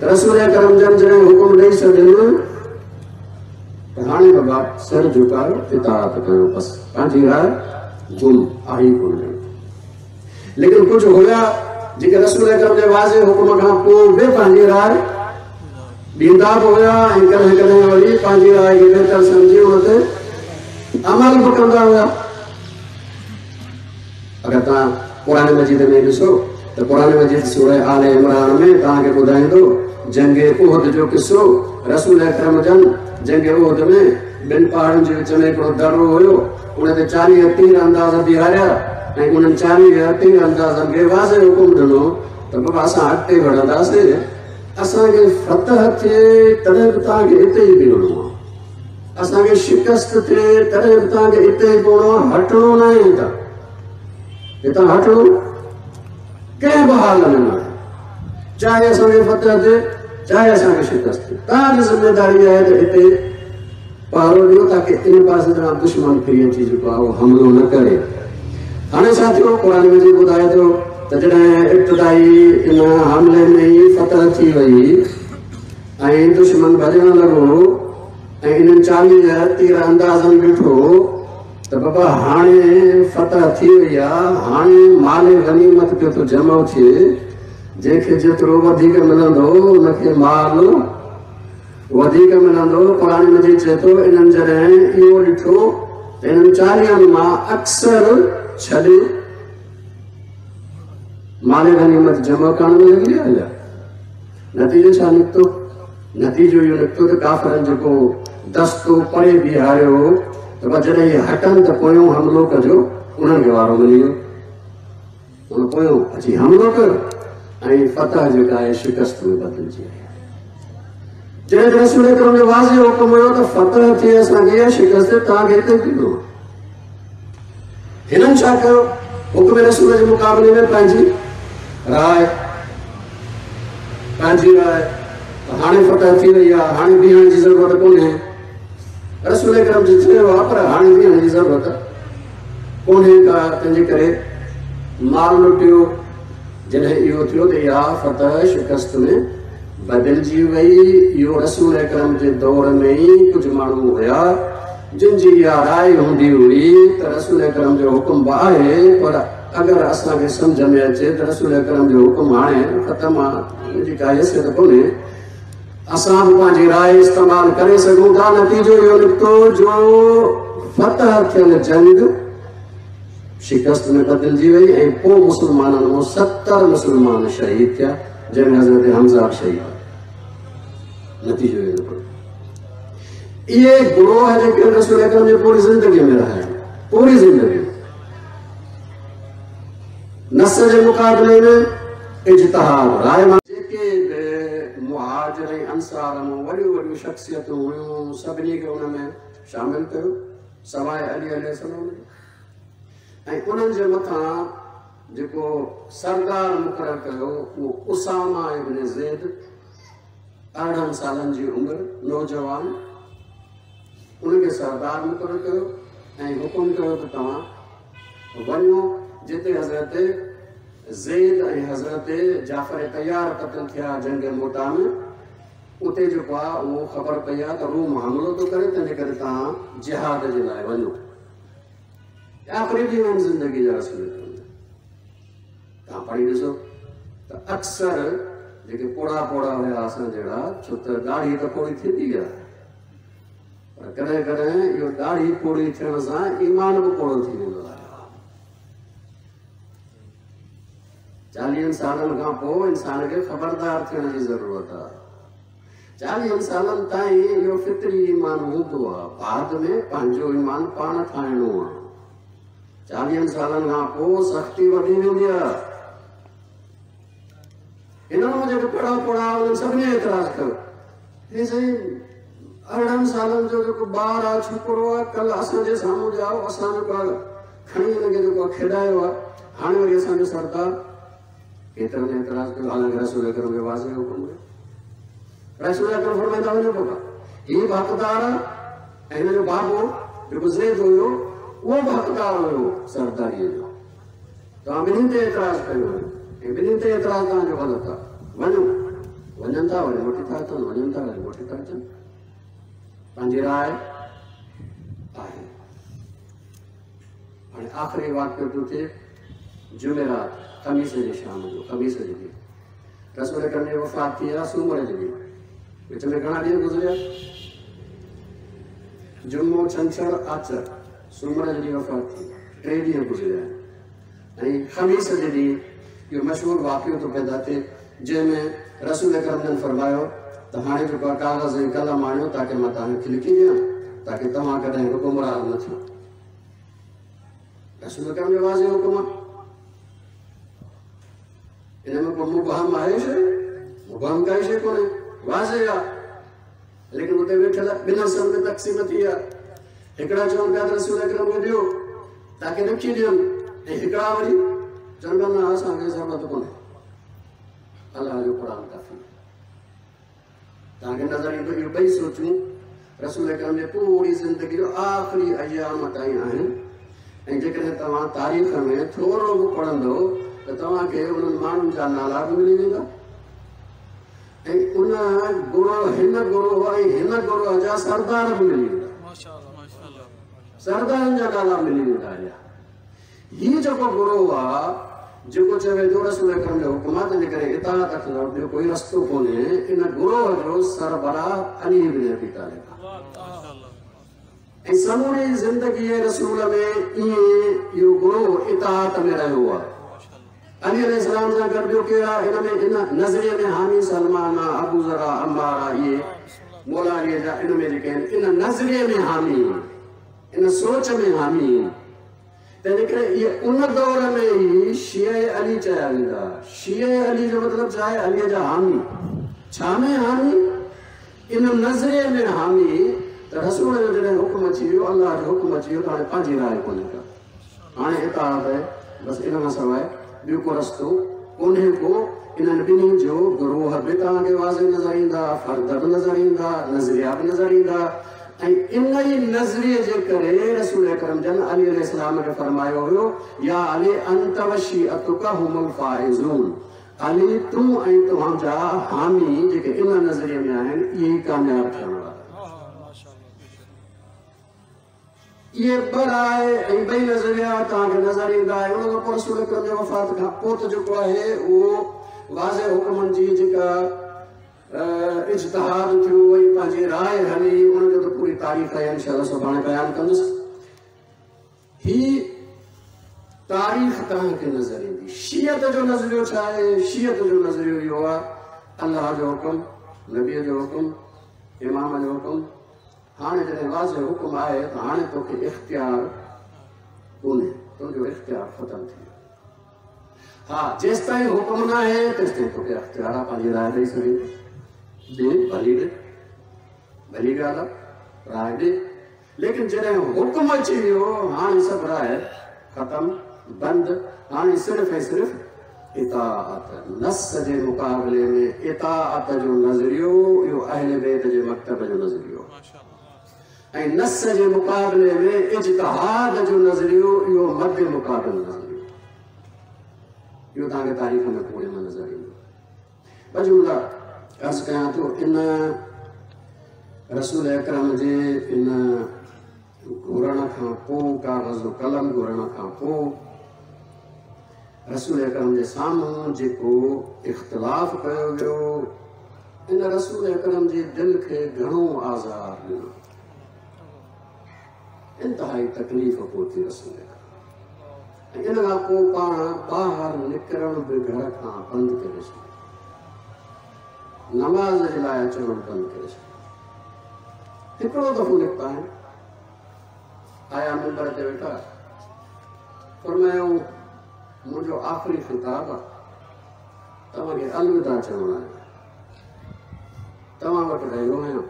Speaker 1: त रसूल अकरम जन जॾहिं हुकुम ॾेई छॾियनि त हाणे बाबा सिर झुकायो, इताअत कयो, बसि पंहिंजी राय गुम आहे ई कोन। लेकिन कुझु हुया जेके रसूल अकरम जे वाज़े हुकुम खां पोइ बि पंहिंजी राय ॾींदा बि हुया ऐं कॾहिं कॾहिं वरी पंहिंजी राय खे बहितर सम्झी उन ते अमल बि कंदा हुया। अगरि तव्हां क़ुरान मजीद में ॾिसो त क़ुरान मजीद सूरह आल इमरान में तव्हांखे ॿुधाईंदो जंग उहद जो किसो। रसूल अकरम जन जंग उहद में ॿिनि पहाड़नि जे विच में हिकिड़ो दरो हुयो, उन ते चालीह तीर अंदाज़ बीहारिया ऐं उन्हनि चालीह तीर अंदाज़नि खे वाज़े हुकुम ॾिनो त बाबा असां अॻिते वधंदासीं, असांखे फतह थिए तॾहिं बि तव्हांखे हिते ई बीहणो आहे, असांखे शिकस्त थिए तॾहिं बि तव्हांखे हिते ई पवणो आहे, हटणो न आहे हितां, हितां हटणो कंहिं बि हाल में न आहे, चाहे असांखे फतह थिए चाहे असांखे शिकस्त थिए, तव्हांजी ज़िम्मेदारी आहे त हिते पहरो ॾियो ताकी इन पासे तां दुश्मन फिरी अची जेको आहे उहो हमलो न करे। हाणे छा थियो? क़ुरान मजीद ॿुधाए थो त जॾहिं इब्तिदाई इन हमले में ई फतह थी वई ऐं दुश्मन भॼण लॻो ऐं इन्हनि चालीह तीर अंदाज़नि ॾिठो त बाबा हाणे फतह थी वई आहे, हाणे माल गनीमत पियो थो जमा थिए, जंहिंखे जेतिरो वधीक मिलंदो उनखे माल वधीक मिलंदो। क़ुरान मजीद चए थो इन्हनि जॾहिं इहो ॾिठो त इन्हनि चालीहनि मां अक्सर छॾे माल गनीमत जमा करण में लॻी विया हलिया। नतीजो छा निकितो? नतीजो इहो निकितो त काफ़रनि जेको दस्तो परे बीहारियो हो त जॾहिं हटनि त पोयों हमलो कजो, उन्हनि खे वारो मिली वियो, उन पोयों अची हमलो कयो ऐं फतह जेका आहे शिकस्त में बदिलजी वई। जॾहिं रसूल अकरम जो वाज़े हुकुम हुयो त फतह थिए असांखे या शिकस्त तव्हांखे हिते बीहणो आहे। हिननि छा कयो? हुकुम रसूल जे मुक़ाबले में पंहिंजी राय पंहिंजी राय हाणे फतह थी वई आहे, हाणे बीहण जी ज़रूरत कोन्हे। रसूल अकरम जी चयो आहे पर हाणे बीहण जी ज़रूरत कोन्हे का, तंहिंजे करे माल लुटियो। जॾहिं इहो थियो त इहा फतह शिकस्त में बदिलजी वई। इहो रसूल अकरम जे दौर में ई कुझु माण्हू हुया जिन जी इहा राय हूंदी हुई त रसूल अकरम जो हुकुम बि आहे पर अगरि असांखे सम्झ में अचे त रसूल अकरम जो हुकुम हाणे ख़तमु आहे, हुनजी का हैसियत कोन्हे, असां बि पंहिंजी राय इस्तेमालु करे सघूं था। नतीजो इहो निकितो जो फतह थियल जंग शिकस्त में बदिलजी वई ऐं पोइ मुस्लमाननि मां सतरि मुस्लमान शहीद थिया, जंहिंमें हज़रत हमज़ा बि शहीद। नतीजो इहो निकितो। इहे गुरोह जेके रसूल अकरम जी पूरी ज़िंदगीअ में रहिया, पूरी ज़िंदगी नस जे मुक़ाबले में इज्तिहाद राय मां जेके बि मुहाजिर ऐं अंसार मां वॾियूं वॾियूं शख़्सियतूं हुयूं सभिनी खे हुन में शामिल कयो सवाइ अली अलैहिस्सलाम जे। ऐं उन्हनि जे मथां जेको सरदार मुक़ररु कयो उहो उसामा इब्न ज़ैद, अरिड़हं सालनि जी उमिरि, नौजवान, उनखे सरदार मुक़ररु कयो ऐं हुकुम कयो त तव्हां वञो जिते हज़रत ज़ैद ऐं हज़रत जाफ़र तैयार क़तल थिया जंग मोता में, उते जेको आहे उहो ख़बर पई आहे त रूम हमिलो थो करे, तंहिंजे करे तव्हां जिहाद जे लाइ वञो। आख़िरी ॾींहं आहिनि ज़िंदगी जा रसूल। तव्हां पढ़ी ॾिसो त अक्सर जेके पोड़ा पोड़ा हुया असां जहिड़ा, छो त ॾाढ़ी त पोड़ी थींदी आहे, पर कॾहिं कॾहिं इहो ॾाढ़ी पोड़ी थियण सां ईमान बि पोड़ो थी वेंदो आहे। चालीहनि सालनि खां पोइ इंसान खे ख़बरदार थियण जी ज़रूरत आहे। चालीहनि सालनि ताईं इहो फितरी ईमान हूंदो आहे, बाद में पंहिंजो ईमान पाण ठाहिणो आहे। चालीहनि सालनि खां पोइ सख़्ती वधी वेंदी आहे। हिननि मां जेके पढ़ा पढ़ा उन्हनि सभिनी एतिराज़ कयो, हे साईं अरिड़हनि सालनि जो जेको ॿार आहे, छोकिरो आहे, कल्ह असांजे साम्हूं ॼाओ, असां जेको आहे खणी हुनखे जेको आहे खेॾायो आहे, हाणे वरी असांजो सरदार। केतिरनि एतिराज़ कयो, हालांकि रसूल अकरम जो वाज़े हुकुम हुयो। रसूल अकरम फरमाईंदा वञो बाबा, हीउ बि हक़दार आहे ऐं हिन जो बाबो जेको ज़ैद हुयो उहो बि हक़दार हुयो सरदारीअ जो। तव्हां ॿिन्हिनि ते एतिराज़ कयो हुयो ऐं ॿिन्हिनि ते एतिराज़ तव्हांजो ग़लति आहे। वञो, वञनि था वरी मोटी था अचनि, वञनि था वरी मोटी था अचनि। पंहिंजी राय आहे। हाणे आख़िरी वाक़ियो थो थिए जुमेरात, ख़मीस जे शाम जो, ख़मीस जे ॾींहुं रसूल अकरम जी वफ़ात थी आहे सूमर जे ॾींहुं, विच में घणा ॾींहं गुज़रिया, जुमो, छंछर, आचर, सूमर जे ॾींहुं वफ़ात थी, टे ॾींहं गुज़रिया आहिनि। ऐं ख़मीस जे ॾींहुं इहो मशहूरु वाक़ियो थो पैदा थिए जंहिंमें रसूल अकरम जन फरमायो त हाणे जेको आहे कागज़ ऐं कलम आणियो ताकी मां तव्हांखे लिखी ॾियां, ताकी तव्हां कॾहिं बि गुमराह न थियो। रसूल अकरम जो वाज़े हुकुम आहे, इन में को मुबहम आहे शइ? मुबहम काई शइ कोन्हे, वाज़े आहे। लेकिन उते वेठल ॿिनि हिसनि में तक़सीम थी आहे। हिकिड़ा चवनि पिया त रसूल अकरम खे ॾियो ताकी लिखी ॾियनि, ऐं हिकिड़ा वरी चवनि पिया न असांखे ज़रूरत कोन्हे, अलाह जो क़ुर काफ़ी। तव्हांखे नज़र ईंदो इहो ॿई सोचूं रसूल अकरम जे पूरी ज़िंदगी जो आख़िरी अयाम ताईं आहिनि। ऐं जेकॾहिं तव्हां तारीख़ में थोरो बि पढ़ंदव त तव्हांखे उन्हनि माण्हुनि जा नाला बि मिली वेंदा ऐं उन गुरो, हिन गुरो ऐं हिन गुरो जा सरदार बि मिली वेंदा, सरदारनि जा नाला मिली वेंदा। हीउ जेको गुरो आहे जेको चवे थो रसूल अकरम जो हुकुम आहे, तंहिंजे करे इताअत खां ॿियो कोई रस्तो कोन्हे। इन गुरोह जो सरबराह अली इब्न अबी तालिब आहे। ऐं समूरी ज़िंदगीअ रसूल में ईअं इहो गुरोह इताअत में रहियो आहे। अली अलैहिस्सलाम सां गॾु ॿियो केरु आहे? हिन में इन नज़रिए में हामी सलमान आहे, अबू ज़र आहे, अम्मार आहे, इहे मौला अली जा इन में जेके आहिनि इन नज़रिए में हामी, इन सोच में हामी। तंहिंजे करे इहे उन दौर में ई शिया अली चया वेंदा। शिया अली जो मतिलबु छा आहे? अलीअ जा हामी। छा में हामी? इन नज़रिए में हामी त रसूल जो जॾहिं हुकुम अची वियो, अलाह जो हुकुम अची वियो त हाणे पंहिंजी राय कोन्हे का, हाणे इताअत आहे बसि, इन खां सवाइ ॿियो को रस्तो कोन्हे को। इन्हनि ॿिन्ही जो गुरोह बि तव्हांखे वाज़े नज़र ईंदा, फ़र्द बि नज़र ईंदा, नज़रिया बि नज़र ईंदा। ऐं इन ई नज़रिए जे करे रसूल अकरम जन अली अलैहिस्सलाम खे फरमायो हुयो, या अली अंत व शिअतुका हुमुल फ़ाइज़ून, अली तूं ऐं तव्हांजा हामी जेके इन नज़रिए में आहिनि इहे ई कामयाब थियण वारा। इहे ॿ राय ऐं ॿई नज़रिया तव्हांखे नज़र ईंदा। उन खां पोइ रसूल अकरम जे वफ़ात खां पोइ त जेको आहे उहो वाज़े हुकमनि जी जेका इज्तिहाद थियो ऐं पंहिंजी राय हली, उनजो त पूरी तारीख़ आहे, इंशा अल्लाह सुभाणे बयानु कंदुसि। ही तारीख़ तव्हांखे नज़र ईंदी। शीअत जो नज़रियो छा आहे? शीअत जो नज़रियो इहो आहे अल्लाह जो हुकुम, नबीअ जो हुकुम, इमाम जो हुकुम। हाणे जॾहिं वाज़े हुकुम आहे त हाणे तोखे इख़्तियार कोन्हे, तुंहिंजो इख़्तियार ख़तमु थी वियो। हा, जेसि ताईं हुकुम न आहे तेसि ताईं तोखे इख़्तियार आहे, पंहिंजी राय ॾेई सघे, ॾे भली ॾे, भली ॻाल्हि आहे, राय ॾे। लेकिन जॾहिं हुकुम अची वियो, हाणे सभु राय ख़तमु, बंदि। हाणे सिर्फ़ ऐं सिर्फ़ इताअत। नस जे मुक़ाबले में इताअत जो नज़रियो इहो अहले बैत जे मकतब जो नज़रियो, ऐं नस जे मुक़ाबले में इज्तिहाद जो नज़रियो इहो मद मुक़ाबिल नज़रियो। इहो तव्हांखे तारीख़ में पूरे में नज़र ईंदो। ॿ जुमला अर्ज़ कयां थो। इन रसूल अकरम जे इन घुरण खां पोइ, कागज़ कलम घुरण खां पोइ रसूल अकरम जे साम्हूं जेको इख़्तिलाफ़ कयो वियो, इन रसूल अकरम जी दिलि खे घणो आज़ार ॾिनो, इंतिहाई तकलीफ़ पहुती रसूल अकरम। ऐं इन खां पोइ पाण ॿाहिरि निकिरणु बि घर खां बंदि करे छॾियो, नमाज़ जे लाइ अचणु बि बंदि करे छॾियो। हिकिड़ो दफ़ो निकिता आहिनि, आया मिंबर ते वेठा, फरमायूं मुंहिंजो आख़िरी ख़िताब आहे, तव्हांखे अलविदा चवणु आहे, तव्हां वटि रहियो आहियां,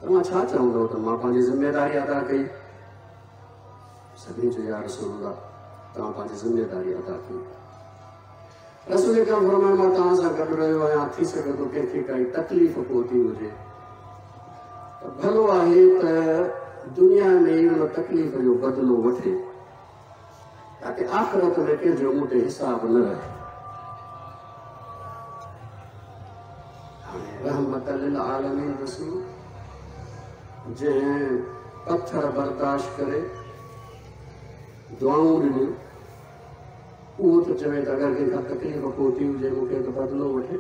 Speaker 1: तव्हां छा चवंदव त मां पंहिंजी ज़िम्मेदारी अदा कई? सभिनी चयो या रसूल अल्लाह, तव्हां पंहिंजी ज़िम्मेदारी अदा कई। रसूल अकरम फरमायो मां तव्हां सां गॾु रहियो आहियां, थी सघे थो कंहिंखे काई तकलीफ़ पहुती हुजे त भलो आहे त दुनिया में ई उन तकलीफ़ जो बदिलो वठे, ताकि आख़िरत में कंहिंजो मूं ते हिसाब न रहे। हाणे रहमत लिल आलमीन रसूल जंहिं पथर बर्दाश्त करे दुआऊं ॾिनियूं, उहो थो चवे त अगरि कंहिंखां तकलीफ़ पहुती हुजे मूंखे त बदिलो वठे।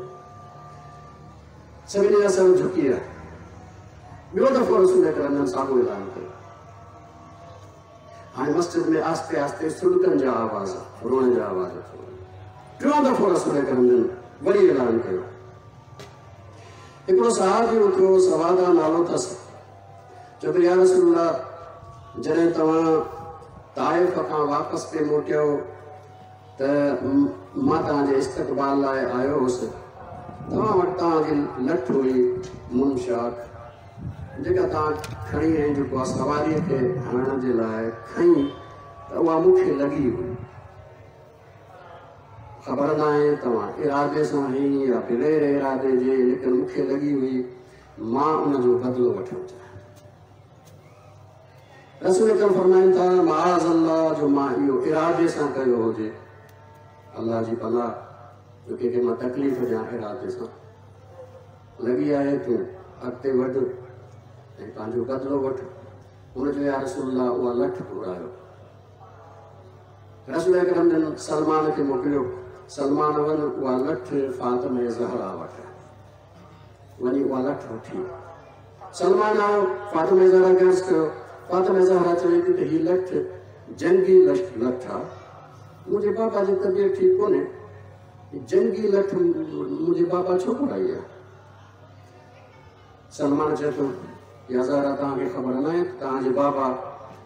Speaker 1: सभिनी जा सर झुकी विया। ॿियो दफ़ो रसूल अकरम जन साॻियो ऐलान कयो। हाणे मस्जिद में आहिस्ते आहिस्ते सुड़कनि जा आवाज़, रोअण जा आवाज़। टियों दफ़ो रसूल अकरम जन वरी ऐलान कयो। हिकिड़ो सहाबी उथियो, सवादा नालो अथसि, चयो त या रसूल अल्लाह, जॾहिं तव्हां ताइफ़ खां वापसि पे मोटियो त मां तव्हांजे इस्तक़बाल लाइ आयो हुउसि, तव्हां वटि तव्हांजी लठि हुई मुनशाक, जेका तव्हां खणी ऐं जेको आहे सवारीअ खे हणण जे लाइ खई, त उहा मूंखे लॻी हुई। ख़बर न आहे तव्हां इरादे सां हई या बग़ैर इरादे जे, लेकिन मूंखे लॻी हुई, मां उनजो बदिलो वठणु चाहियां। रसूल अकरम फरमाइनि था माज़ अल्लाह, जो मां इहो इरादे सां कयो हुजे, अल्लाह जी पनाह, जो कंहिंखे मां तकलीफ़ ॾियां इरादे सां लॻी आहे, तूं अॻिते वधि ऐं पंहिंजो बदिलो वठि। हुन चयो या रसूल अल्लाह, उहा लठि घुरायो। रसूल अकरम जन सलमान खे मोकिलियो, सलमान वञ उहा लठि फातिमा ज़हरा वटि वञी उहा लठि वठी। सलमान आयो, फातिमा ज़हरा खे अर्ज़ु कयो। फातिमा ज़हरा चवे थी त हीअ लठि जंगी लठि आहे, मुंहिंजे बाबा जी तबियत ठीकु कोन्हे, जंगी लठि मुंहिंजे बाबा छो घुराई आहे? सलमान चए थो या ज़हरा, तव्हांखे ख़बर न आहे त तव्हांजे बाबा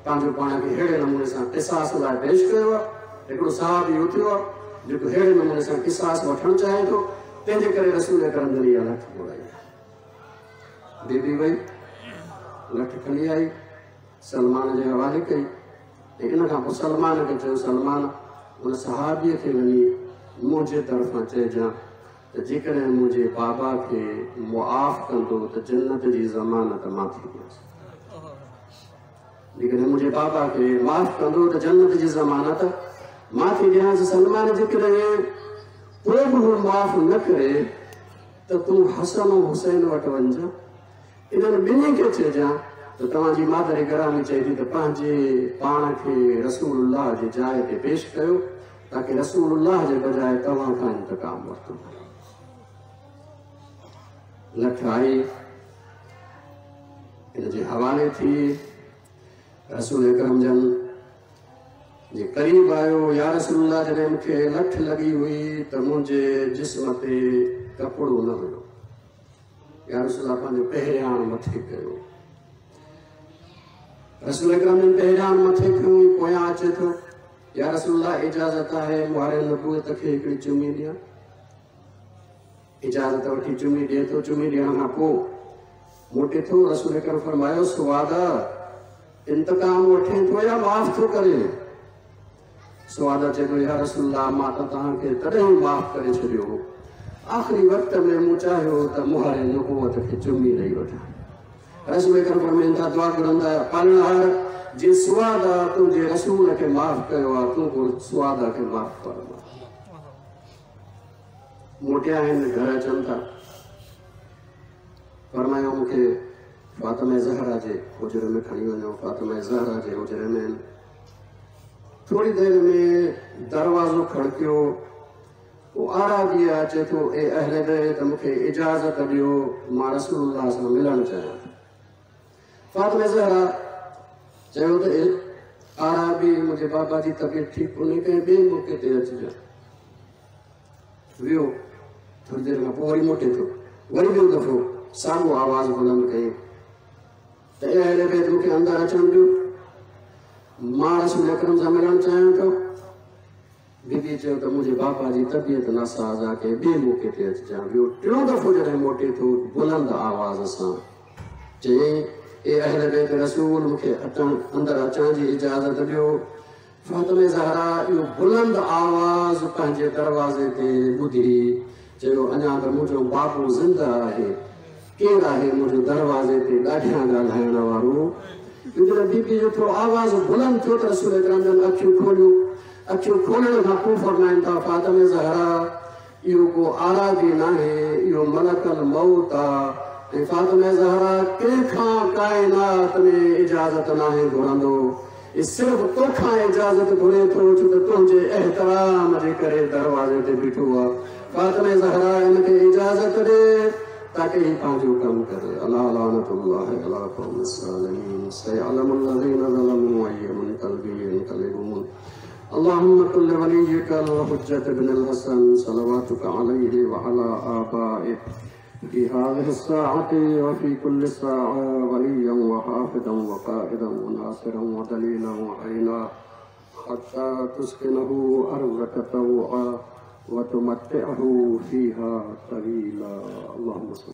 Speaker 1: पंहिंजो पाण खे अहिड़े नमूने सां क़िसास लाइ पेश कयो आहे। हिकिड़ो साहब इहो थियो आहे जेको अहिड़े नमूने सां क़िसास वठणु चाहे थो, तंहिंजे करे रसूल अकरम जन इहा लठि घुराई आहे। बीबी वई, लठि खणी आई, सलमान जे हवाले कई ऐं इन खां पोइ सलमान खे चयो, सलमान उन सहाबीअ खे वञी मुंहिंजे तरफ़ां चइजां त जेकॾहिं मुंहिंजे बाबा खे मुआफ़ कंदो त जन्नत जी ज़मानत मां थी ॾियांसि, जेकॾहिं मुंहिंजे बाबा खे माफ़ कंदो त जन्नत जी ज़मानत मां थी ॾियांसि। सलमान जेकॾहिं पोइ बि हू माफ़ न करे त तूं हसन हुसैन वटि वञिजां, इन्हनि ॿिन्ही खे चइजां त तव्हांजी मादर गिरामी चए थी त पंहिंजे पाण खे रसूलुल्लाह जे जाइ ते पेश कयो ताकी रसूलुल्लाह जे बजाए तव्हां खां इंतकाम वरितो। लठ आई हिन जे हवाले थी। रसूल अकरम जन जे क़रीब आयो, या रसूलुल्लाह जॾहिं मूंखे लठ लॻी हुई त मुंहिंजे जिस्म ते कपिड़ो न हुयो। या रसूलुल्लाह पंहिंजो पहिरियाण मथे कयो। रसूल अकरम जन पहिरियाण मथे कयो, पोयां अचे थो, या रसूलुल्लाह इजाज़त आहे मुहारे नबूअत खे हिकिड़ी चुमी ॾियां। इजाज़त वठी चुमी ॾिए थो। चुमी ॾियण खां पोइ मोटे थो। रसूल अकरम फरमायो, सुवादा इंतकाम वठे थो या माफ़ थो करे? सुवादा चए थो, या रसूलुल्लाह मां त तव्हांखे तॾहिं माफ़ करे छॾियो हो, आख़िरी वक़्त में मूं चाहियो त मुहारे नबूअत खे चुमी ॾेई वठां। रसूल अकरम फरमाइनि था, दुआ घुरंदा पालणहार जे सुवादा तुंहिंजे रसूल खे माफ़ कयो आहे, तूं पोइ सुवादा खे माफ़ फरमा। मोटिया आहिनि, घर अचनि था। फरमायो मूंखे फातिमा ज़हरा जे हुजरे में खणी वञो। फातिमा ज़हरा जे हुजरे में आहिनि। थोरी देरि में दरवाज़ो खड़कियो। उहो आराबी अचे थो, ए अहले बैत मूंखे इजाज़त ॾियो, मां रसूलुल्लाह सां मिलणु चाहियां थो। फातिमा ज़हरा चयो त आराबी मुंहिंजे बाबा जी तबियत ठीकु कोन्हे, कंहिं ॿिए मौक़े ते अचिजांइ। वियो, थोरी देरि खां पोइ वरी मोटे थो, वरी ॿियो दफ़ो साॻियो आवाज़ बुलंद कयईं त ए अहले बैत मूंखे अंदरि अचणु ॾियो, मां रसूल अकरम सां मिलणु चाहियां थो। बीबी चयो त मुंहिंजे बाबा जी तबियत नासाज़ आहे, कंहिं ॿिए मौक़े ते अचिजांइ। वियो, टियों दफ़ो जॾहिं मोटे थो, बुलंद आवाज़ सां चयईं, ए अहले बैत रसूल मूंखे अचण अंदरि अचण जी इजाज़त ॾियो। फातिमा ज़हरा इहो बुलंद आवाज़ पंहिंजे दरवाज़े ते ॿुधी चयो, अञा त मुंहिंजो बाबू ज़िंदा आहे, केरु आहे मुंहिंजो दरवाज़े ते ॾाढियां ॻाल्हाइण वारो? जॾहिं बीबी जो थोरो आवाज़ बुलंद थियो त रसूल अकरम जन अखियूं खोलियूं। अखियूं खोलण खां पोइ फरमाइनि था, फातिमा ज़हरा इहो को आराबी नाहे, इहो मलकल मौत आहे। ऐं फातिमा ज़हरा कंहिंखां काइनात में इजाज़त नाहे घुरंदो, सिर्फ़ तोखां इजाज़त घुरे थो, छो त तुंहिंजे एहतराम जे करे दरवाज़े ते बीठो आहे। फातिमा ज़हरा हिनखे इजाज़त ॾे ताकी ही पंहिंजो कमु करे। अला लानतुल्लाहि अला क़ौमिस ज़ालिमीन सयअलमुल लज़ीना ज़लमू अय्य मुनक़लबिन यनक़लिबून। अल्लाहुम्मा कुल वलिय्यिकल हुज्जत इब्नुल हसन सलवातुक अलैहि व अला आबाइहि फ़ी हाज़िहि स्साअति व फ़ी कुल्लि साअ वलिय्यन व हाफ़िज़न व क़ाइदन व नासिरन व दलीलन व ऐना हत्ता तुस्किनहु अर्ज़क तौआ व तुमत्तिअहु फ़ीहा तवीला। अल्लाहुम्मा।